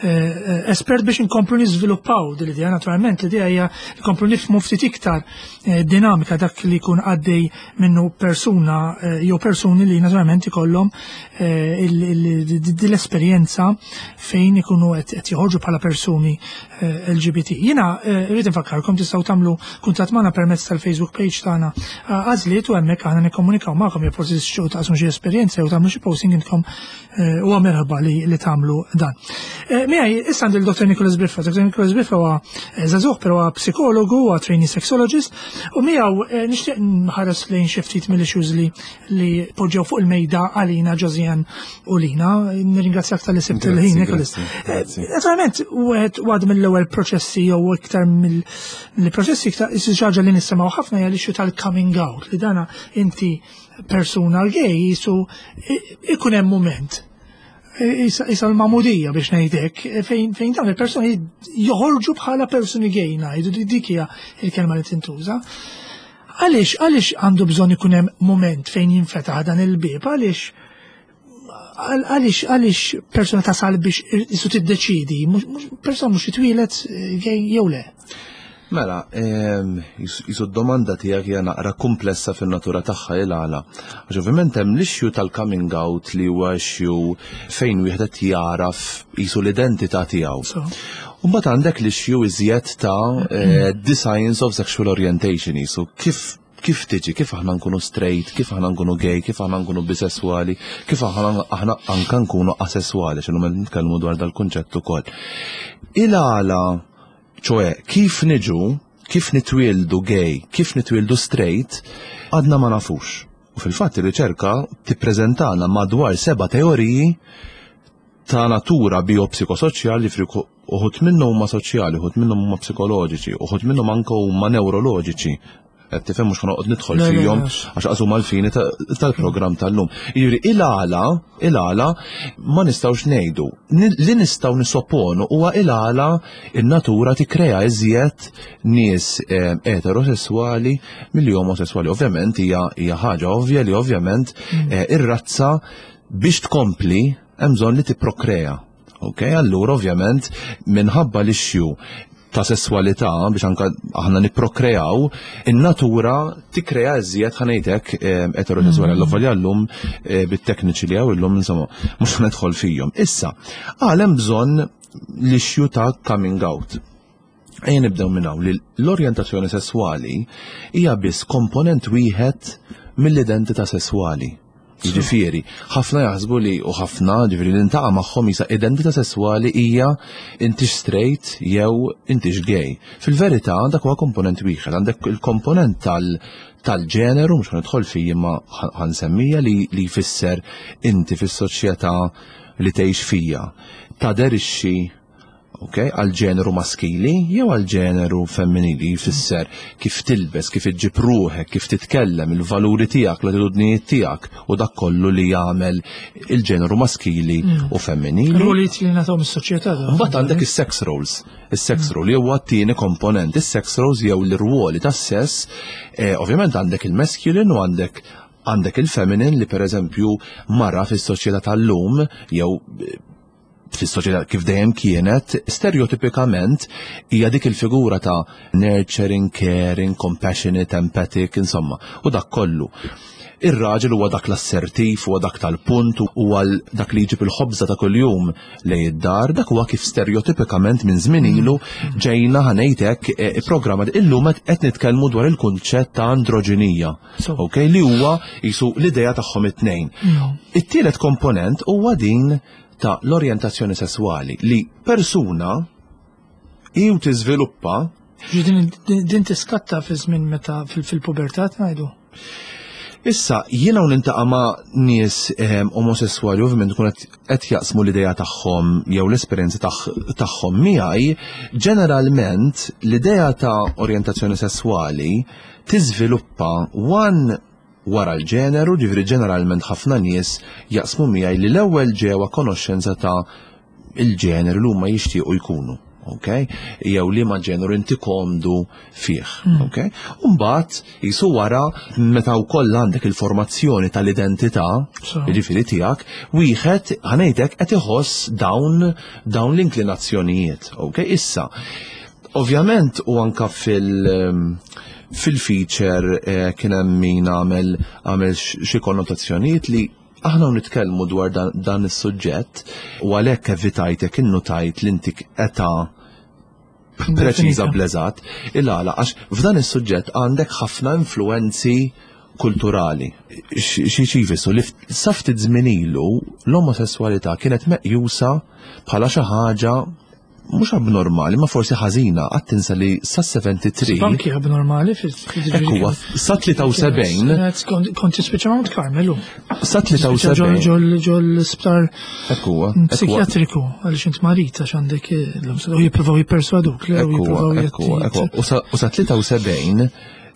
eh, espert biex inkomplu niżviluppaw din l-idea. Naturalment l-idea hija nkomplu nifhmu ftit iktar dinamika dak li jkun għaddej minnu persuna jew persuni li naturalment ikollhom l-esperjenza fejn ikunu qed joħorġu bħala persuni Eh, LGBT. Jina eh, rrid infakkarkom tistgħu tagħmlu kuntatt magħna permezz tal-Facebook page tagħna eh, għażliet u hemmhekk aħna nikkomunikaw magħkom jew forsi tixtiequ taqsmu xi esperjenza jew tagħmlu xi posting intkom huwa merħba li li tagħmlu dan. Miegħi issa għandi l-Dr. Nicholas Biffa. Dr. Nicholas Biffa huwa żagħżugħ però huwa psikologu, huwa trainee sexologist u miegħu nixtieq nħares lejn xi ftit mill-issues li li poġġew fuq il-mejda għalina Josiane u Lina. Nirringrazzjak tal-li sibt il-ħin, Nicholas. Eh, naturalment, wieħed għad mill-ewwel proċessi jew iktar mill-proċessi iktar xi ħaġa li nisimgħu ħafna hija l-issue tal-coming out li dana inti persuna gay jisu ikun hemm mument isa l-mamudija biex ngħidek fejn fejn dawn il-persuni joħorġu bħala persuni gay ngħidu dik hija il-kelma li tintuża. Għaliex għaliex għandu bżonn ikun hemm mument fejn jinfetaħ dan il-bieb, għaliex għaliex għaliex persuna tasal biex isu tiddeċidi, persuna mhux titwielet eh, gay jew le. Mela, jisu d-domanda tiegħek hija naqra komplessa fin-natura tagħha il għala. Għax ovvjament hemm l-issue tal-coming out li huwa issue fejn wieħed qed jaraf jisu l-identità tiegħu. U mbagħad għandek l-issue iżjed ta' eh, the science of sexual orientation jisu kif kif tiġi, kif aħna nkunu straight, kif aħna nkunu gay, kif aħna nkunu bisessuali, kif aħna aħna anka nkunu asessuali, x'inhu nitkellmu dwar dal-kunċett ukoll. Il-għala ċoe, kif niġu, kif nitwieldu gay, kif nitwieldu straight, għadna ma nafux. U fil-fatt ir-riċerka tippreżentana madwar seba' teoriji ta' natura biopsikosoċjali ġifieri uħud minnhom huma soċjali, uħud minnhom huma psikoloġiċi, uħud minnhom anke huma neuroloġiċi. Qed tifhem mhux ħanoqgħod nidħol fihom għax qas huma l-fini tal-programm tal-lum. Jiġifieri il-għala, il-għala ma nistgħux ngħidu. Li nistgħu nisopponu huwa il-għala in-natura tikkrea iżjed nies eh, eterosessuali milli omosessuali. Ovvjament hija hija ħaġa ovvja li ovvjament mm. eh, ir-razza biex tkompli hemm bżonn li tipprokrea. Ok, allura ovvjament minħabba l-issue ta' sesswalità biex anka aħna nipprokreaw, in-natura tikkrea iżjed ħanejtek eh, eterosessuali mm. għall llum eh, bit-tekniċi li hawn illum insomma mhux ħanidħol fihom. Issa, għal hemm bżonn l-issue ta' coming out. Ejja nibdew minn hawn li l-orjentazzjoni sesswali hija biss komponent wieħed mill-identità sesswali. Jiġifieri, ħafna jaħsbu li u ħafna ġifieri li ntaqa' magħhom jisa identità sesswali hija intix straight jew intix gay. Fil-verità dak huwa komponent wieħed, għandek il-komponent tal tal-ġeneru, mhux ħanidħol fih imma ħansemmija li li jfisser inti fis-soċjetà li tgħix fija. Taderixxi Ok, għal ġeneru maskili jew għal ġeneru femminili jfisser kif tilbes, kif iġġib ruħek, kif titkellem, il-valuri tiegħek, l-attitudnijiet tiegħek u dak kollu li jagħmel il-ġeneru maskili mm. u femminili. Rolijiet li nagħtihom is-soċjetà. Mbagħad għandek is-sex roles. Is-sex mm. role jew t-tieni komponent, is-sex roles jew l-irwoli tas-sess, eh, ovvjament għandek il-masculine u għandek għandek il-feminine li pereżempju mara fis-soċjetà tal-lum jew eh, fis-soċjetà kif dejjem kienet, stereotipikament hija dik il-figura ta' nurturing, caring, compassionate, empathic, insomma, u dak kollu. Ir-raġel huwa dak l-assertiv, huwa dak tal-punt, huwa dak li jġib il-ħobża ta' kuljum lejn id-dar, dak huwa kif stereotipikament minn żmien ilu ġejna ħa ngħid hekk eh, programma illum qed nitkellmu dwar il-kunċett ta' androġinija. Ok, li huwa jisu l-idea tagħhom it-tnejn. It-tielet komponent huwa din ta' l-orjentazzjoni sesswali li persuna jew tiżviluppa Din, din tiskatta fi żmien meta fil-pubertà ngħidu. Issa, jiena u nintaqa' ma' nies ehm, omosessuali ovvjament kun qed jaqsmu l-idea tagħhom jew l-esperjenza tagħhom miegħi, ġeneralment l-idea ta' orjentazzjoni sesswali tiżviluppa one wara l-ġeneru, ġifieri ġeneralment ħafna nies jaqsmu miegħi li l-ewwel ġew a konoxxenza ta' il-ġeneru li huma jixtiequ jkunu. Ok? Jew li ma ġeneru inti komdu fih. Mm. Ok? Umbagħad jisu wara meta wkoll għandek il-formazzjoni tal-identità, jiġifieri tiegħek, wieħed ħanejtek qed iħoss dawn dawn l-inklinazzjonijiet. Ok? Issa, ovvjament u anka fil- fil-feature eh, kien hemm min għamel għamel xi konnotazzjonijiet li Aħna u nitkellmu dwar dan, dan is-suġġett u għalhekk evitajtek innutajt li intik età preċiża bl-eżatt, il-għala għax f'dan is-suġġett għandek ħafna influenzi kulturali. Xi jfissru li sa ftit żmien ilu l-omosesswalità kienet meqjusa bħala xi ħaġa mhux abnormali, ma forsi ħażina, qatt tinsa li sa 73. Anki abnormali fil Ekku, sa 73. Konti spiċċa Mount Carmelu. Sa 73. Ġol l-isptar Ekku, psikjatriku, għaliex int marit għax għandek l-omsa, u jippruvaw jipperswaduk. Ekku, ekku, u sa 73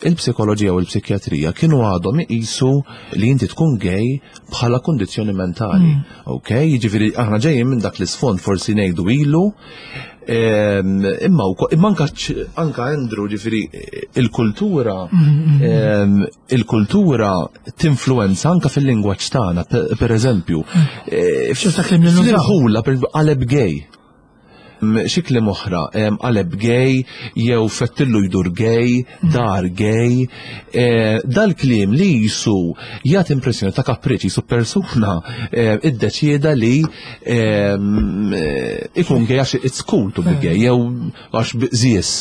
il-psikoloġija u l-psikjatrija kienu għadhom iqisu li inti tkun gay bħala kondizzjoni mentali. Mm. Ok, jiġifieri aħna ġejjin minn dak l-isfond forsi ngħidu ilu, ehm, imma imma anka anka Andrew ġifieri il-kultura mm, mm, ehm, il-kultura tinfluenza anka fil-lingwaġġ tagħna, per eżempju. Eh, fil-ħula qaleb gay. Xi kliem oħra, qaleb gay, jew fettillu jdur gay, mm. dar gay, e, dal-kliem li jisu jagħti impressjoni ta' kapriċi jisu persuna e, iddeċieda li e, ikun gay għax it's cool to be gay, jew għax biqżies.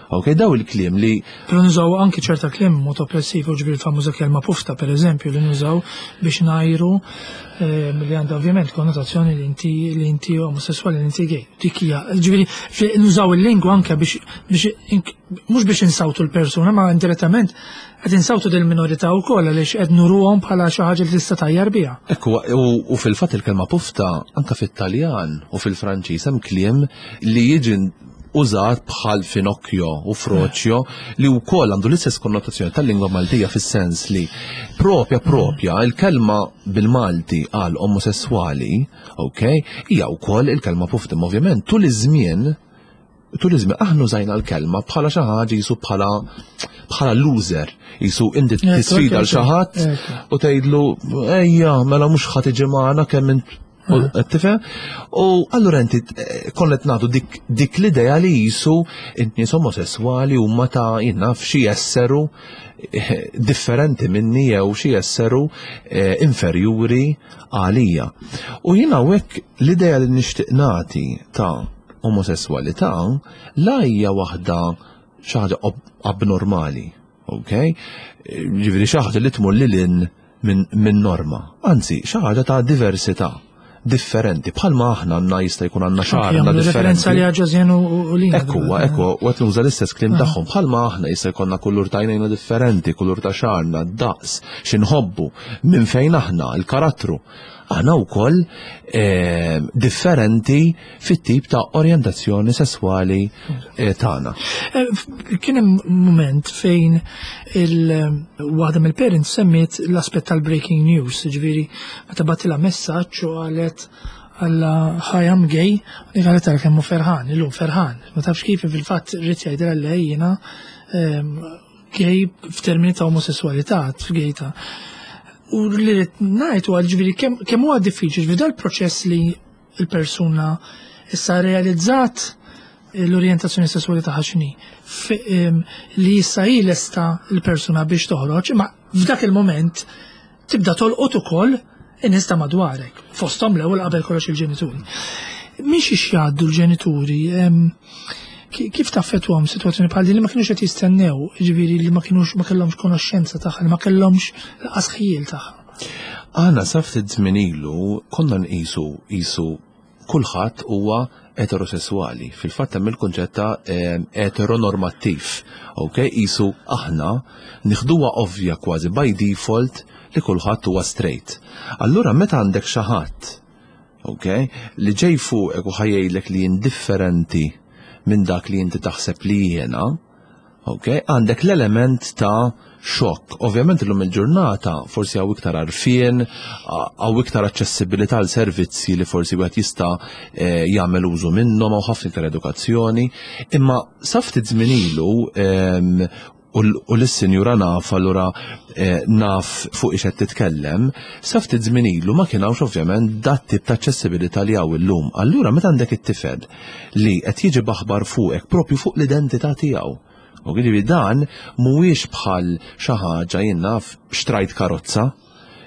Ok, daw il-kliem li. Pero nużaw anki ċerta kliem mod oppressiv, u ġbir famuża kelma pufta, per eżempju, li nużaw biex najru ehm, li għandha ovvjament konnotazzjoni li inti li inti omosessuali li inti gay. Dik hija, ġifieri nużaw il-lingwa anke biex biex mhux biex insawtu l-persuna, ma indirettament qed insawtu del minorità wkoll għaliex qed nuruhom bħala xi ħaġa li tista' tajjar biha. Ekku, u fil-fatt il-kelma pufta anke fit-Taljan u fil-Franċiż hemm kliem li jiġi użat bħal finocchio u froċjo li wkoll għandu l-istess konnotazzjoni tal-lingwa Maltija fis-sens li propja propja il-kelma bil-Malti għal omosessuali, ok, hija wkoll il-kelma puftim. Ovvjament tul iż-żmien tul iż-żmien aħna użajna l-kelma bħala xi ħaġa jisu bħala bħala loser, jisu inti tisfida l xi ħadd u tgħidlu ejja mela mhux ħadd iġi magħna kemm int Tifhem? U allura inti eh, konnet nagħtu dik, dik l-idea li jisu nies omosessuali huma ta' jinnaf xi jesseru eh, differenti minni jew xi jesseru eh, inferjuri għalija. U jiena hawnhekk l-idea li nixtieq nagħti ta' omosessualità la hija waħda xi ħaġa abnormali, ok? Ġifieri xi ħaġa li tmur lil minn norma, anzi xi ħaġa ta' diversità differenti, bħalma aħna għandna jista' jkun għandna xagħarna differenti. Referenza li għaġażjen u lina. Ekku, ekku, u qed nuża l-istess kliem ah. tagħhom, bħalma aħna jista' jkollna kulur ta' għajnejna differenti, kulur ta' xagħarna, daqs, xi nħobbu, minn fejn aħna, il-karattru. Aħna wkoll eh, differenti fit-tip ta' orjentazzjoni sesswali eh, tagħna. Eh, kien hemm mument fejn il-waħda mill-parents semmiet l-aspett tal-breaking news, ġifieri meta batilha messaġġ u qalet għalla hi I'm gay, u qalet tara kemm hu ferħan, illum ferħan. Ma tafx kif fil-fatt rrid jgħidilha li jiena ehm, gay f'termini ta' omosessualità, gay ta' U li rrid ngħid huwa ġifieri kemm huwa diffiċli ġifieri dal-proċess li il-persuna issa realizzat l-orjentazzjoni sesswali tagħha x'inhi li issa hi lesta l-persuna biex toħroġ, imma f'dak il-moment tibda tolqot ukoll in-nies ta' madwarek, fosthom l-ewwel qabel kollox il-ġenituri. Mhix ix jgħaddu l-ġenituri, kif taffettwahom sitwazzjoni bħal din li ma kinux qed jistennew, jiġifieri li ma kinux ma kellhomx konoxxenza tagħha, li ma kellhomx lanqas ħjiel tagħha. Aħna sa ftit żmien ilu konna nqisu qisu kulħadd huwa eterosesswali. Fil-fatt hemm il-kunċett ta' eteronormattiv. Ok, qisu aħna nieħduha ovvja kważi by default li kulħadd huwa straight. Allura meta għandek xi ħadd, ok, li ġej fuqek u ħajjejlek li jien differenti minn dak li inti taħseb li jiena, ok, għandek l-element ta' xokk. Ovvjament illum il-ġurnata forsi hawn iktar għarfien, hawn iktar aċċessibilità għal servizzi li forsi wieħed jista' eh, jagħmel użu minnhom hawn ħafna iktar edukazzjoni, imma sa ftit żmien ilu ehm, u l-sinjura naf allura eh, naf fuq ix qed titkellem, sa ftit żmien ilu ma kien hawnx ovvjament dat tip ta' aċċessibilità li hawn illum. Allura meta għandek it-tifel li qed jiġi b'aħbar fuqek propju fuq l-identità tiegħu. U jiġifieri dan mhuwiex bħal xi ħaġa jien naf xtrajt karozza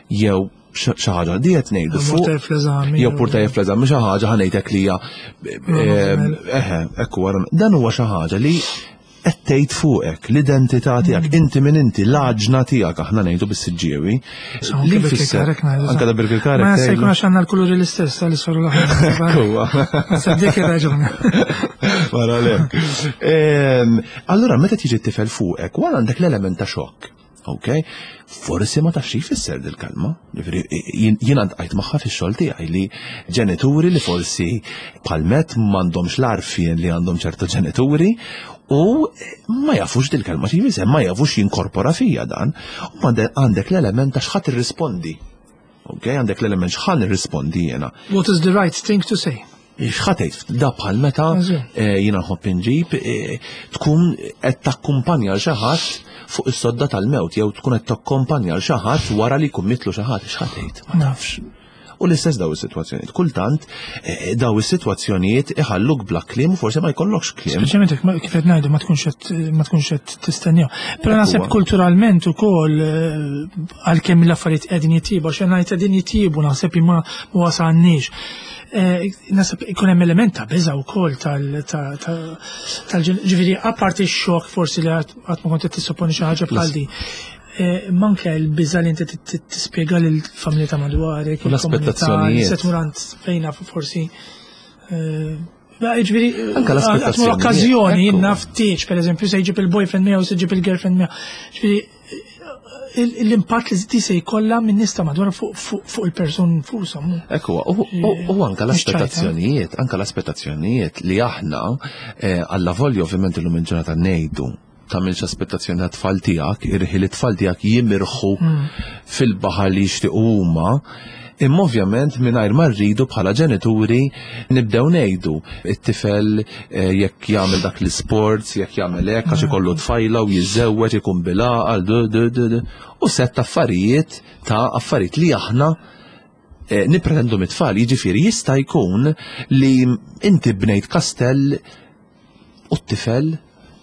jew xi ħaġa di qed ngħidu fuq jew purtajja fl-eżami xi ħaġa ħanejtek li hija eh, eħe, ekku dan huwa xi ħaġa li qed tgħid fuqek, l-identità tiegħek, mm. inti min inti, l-għaġna tiegħek aħna ngħidu bis-siġġiewi. Li jfisser anke da Birkirkarek. Ma se jkun għax għandna l-kuluri l-istess tal-isfar u l-aħmar. Sa dik ir-raġuni. Wara le. Allura meta tiġi t-tifel fuqek, wara għandek l-element ta' xokk. Ok? Forsi ma tafx jfisser dil-kelma. Jiena ntqajt magħha fix-xogħol tiegħi li ġenituri li forsi palmet m'għandhomx l-għarfien li għandhom ċertu ġenituri u ma jafux dil-kelma xi jfisser, ma jafux jinkorpora fija dan. U għandek l-element ta' x'ħadd irrispondi. Ok, għandek l-element x'ħan irrispondi jiena. What is the right thing to say? X'ħa tgħid da bħal meta eh, jiena nħobb inġib eh, tkun qed takkumpanja l xi ħadd fuq is-sodda tal-mewt jew tkun qed takkumpanja l xi ħadd wara li jkun mitlu xi ħadd, x'ħa tgħid? Ma nafx. U l-istess daw is-sitwazzjonijiet. Kultant eh, daw is-sitwazzjonijiet iħalluk bla kliem u forsi ma jkollokx kliem. Speċjalment jekk kif qed ngħidu ma tkunx qed ma tkunx qed tistennew. Però naħseb kulturalment ukoll għalkemm l-affarijiet qegħdin jitjiebu, għax ngħid qegħdin jitjiebu naħseb imma ma wasalniex. Eh, nasab ikun hemm element ta' biża' wkoll tal ġifieri apparti x-xokk forsi li qatt ma kont qed tissupponi xi ħaġa bħal di. Eh, manke l-biża' li inti tispjega lill-familja ta' madwarek, l-aspettazzjonijiet. Se tmur għand fejna forsi eh, Ġifieri, anke l-aspettazzjoni. L-okkażjoni naf tieġ, pereżempju, se jġib il-boyfriend miegħu, se jġib il-girlfriend miegħu. Ġifieri, l-impatt li di se jkollha minn nies ta' madwar fuq il-persun nfushom. Ekku, u anka l-aspettazzjonijiet, anka l-aspettazzjonijiet li aħna eh, alla volja ovvjament illum il-ġurnata ngħidu tagħmilx aspettazzjoni ta' tfal tiegħek, irħi li tfal tiegħek jimirħu hmm. fil-baħar li jixtiequ huma, Imma ovvjament mingħajr ma rridu bħala ġenituri nibdew ngħidu it-tifel eh, jekk jagħmel dak l-isports, jekk jagħmel hekk għax ikollu tfajla u jiżżewweġ ikun bilgħaqal u sett affarijiet ta' affarijiet li aħna eh, nippretendu mit-tfal, jiġifieri jista' jkun li inti bnejt kastell U t-tifel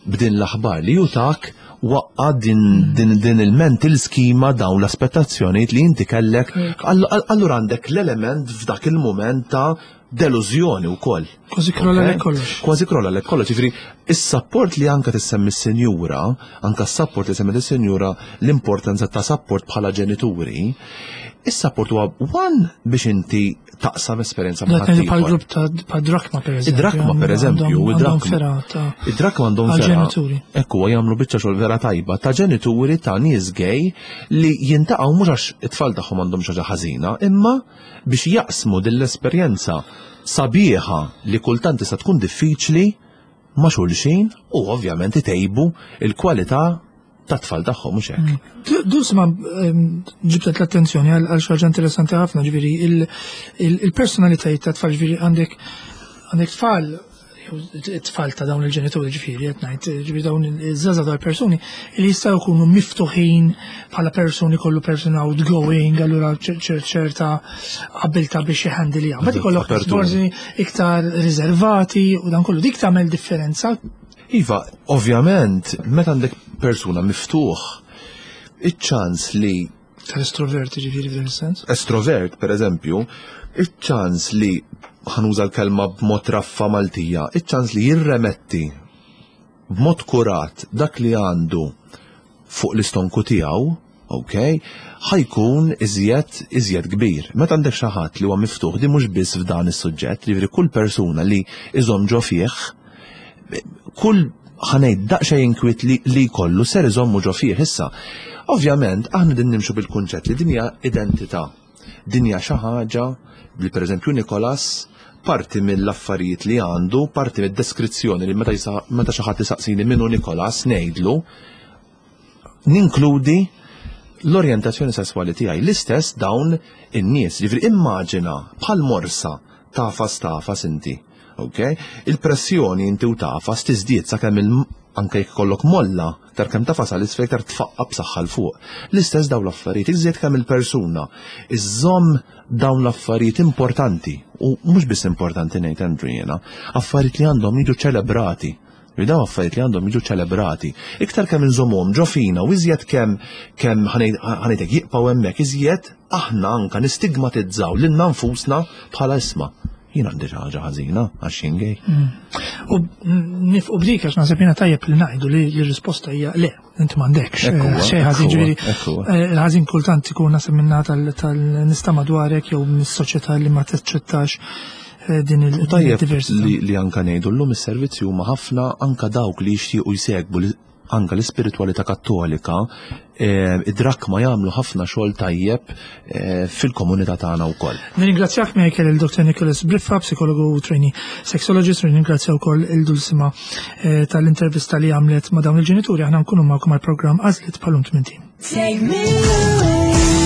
b'din l-aħbar li hu tak waqqa' din, din, din il-mental schema dawn l-aspettazzjonijiet li inti kellek. Allura għandek l-element f'dak il-mument ta' delużjoni wkoll. Kważi krolla lek kollox. Kważi krolla lek kollox. Ġifieri, is-sapport li anka tissemmi s-sinjura, anka s-sapport li semmi s-sinjura l-importanza ta' sapport bħala ġenituri, is-sapport huwa one biex inti taqsam esperjenza ma' ħadd. Bħal grupp ta' bħal drakma per eżempju. Id-drakma per eżempju, id-drakma. Id-drakma għandhom vera. Ekku jagħmlu biċċa xogħol vera tajba ta' ġenituri ta' nies gay li jintaqgħu mhux għax it-tfal tagħhom għandhom xi ħaġa ħażina, imma biex jaqsmu din l-esperjenza sabiħa li kultant tista' tkun diffiċli ma' xulxin u ovvjament itejbu il-kwalità tat-tfal tagħhom mhux hekk. Mm. Dus ma ġibtet l-attenzjoni għal xi ħaġa interessanti ħafna, ġifieri il-personalitajiet ta' tfal ġifieri għandek għandek tfal it-tfal ta' dawn il-ġenituri ġifieri qed ngħid, ġifieri dawn iż-żgħażagħ tal-persuni li jistgħu jkunu miftuħin bħala persuni kollu person outgoing, allura ċerta abilta biex jħandilja. Ma ikollok forsi iktar riservati u dan kollu dik tagħmel differenza. Iva, ovvjament, meta għandek persuna miftuħ, iċ-ċans li Tal-estrovert ġifieri f'dan is-sens? Estrovert, per eżempju, iċ-ċans li ħa nuża l-kelma b'mod raffa Maltija, iċ-ċans li jirremetti b'mod kurat dak li għandu fuq l-istonku tiegħu, ok, ħa jkun iżjed iżjed kbir. Meta għandek xi ħadd li huwa miftuħ di mhux biss f'dan is-suġġett, jiġifieri kull persuna li iżomm ġo fih, kull ħa ngħid daqsxejn inkwiet li, li jkollu ser iżommu ġo fih issa. Ovvjament, aħna din nimxu bil-kunċett li din hija identità. Din hija xi ħaġa li pereżempju Nikolas parti mill-affarijiet li għandu, parti mid-deskrizzjoni li meta meta xi ħadd isaqsini min hu Nikolas ngħidlu ninkludi l-orjentazzjoni sesswali tiegħi. L-istess dawn in-nies, jiġifieri immaġina bħal morsa tagħfas tagħfas inti. Ok? Il-pressjoni inti u tagħfas tiżdied sakemm il anke jekk ikollok molla, iktar kemm tagħfas għal isfel iktar tfaqqa b'saħħa 'l fuq. L-istess dawn l-affarijiet, iżjed kemm il-persuna iżżomm dawn l-affarijiet importanti u mhux biss importanti ngħid Andrew jiena, affarijiet li għandhom jiġu ċelebrati. Li dawn affarijiet li għandhom jiġu ċelebrati. Iktar kemm inżommhom ġo fina u iżjed kemm kemm ħa ngħidlek jibqgħu hemmhekk iżjed aħna anka nistigmatizzaw lilna nfusna bħala isma' jien għandi xi ħaġa ħażina għax jien gay. U nifqu b'dik għax naħseb jiena tajjeb li ngħidu li l-risposta hija le, inti m'għandekx. Ekku, Xejn ħażin ekku, ġifieri. ekku. Il-ħażin kultant ikun naħseb minna tal-nista madwarek jew mis-soċjetà li ma taċċettax din U tajjeb il-diversità. li anka ngħidu llum is-servizzi huma ħafna anka dawk li jixtiequ jsegbu anka l-ispiritwalità kattolika, id-drakma jagħmlu ħafna xogħol tajjeb fil-komunità tagħna wkoll. Nirringrazzjak Michael il-Dr. Nicholas Briffa, psikologu u trainee sexologist, nirringrazzja wkoll il-Dulsima tal-intervista li għamlet ma' dawn il-ġenituri. Aħna nkunu magħkom għall-programm Għażliet bħalum tmintin. Take me away.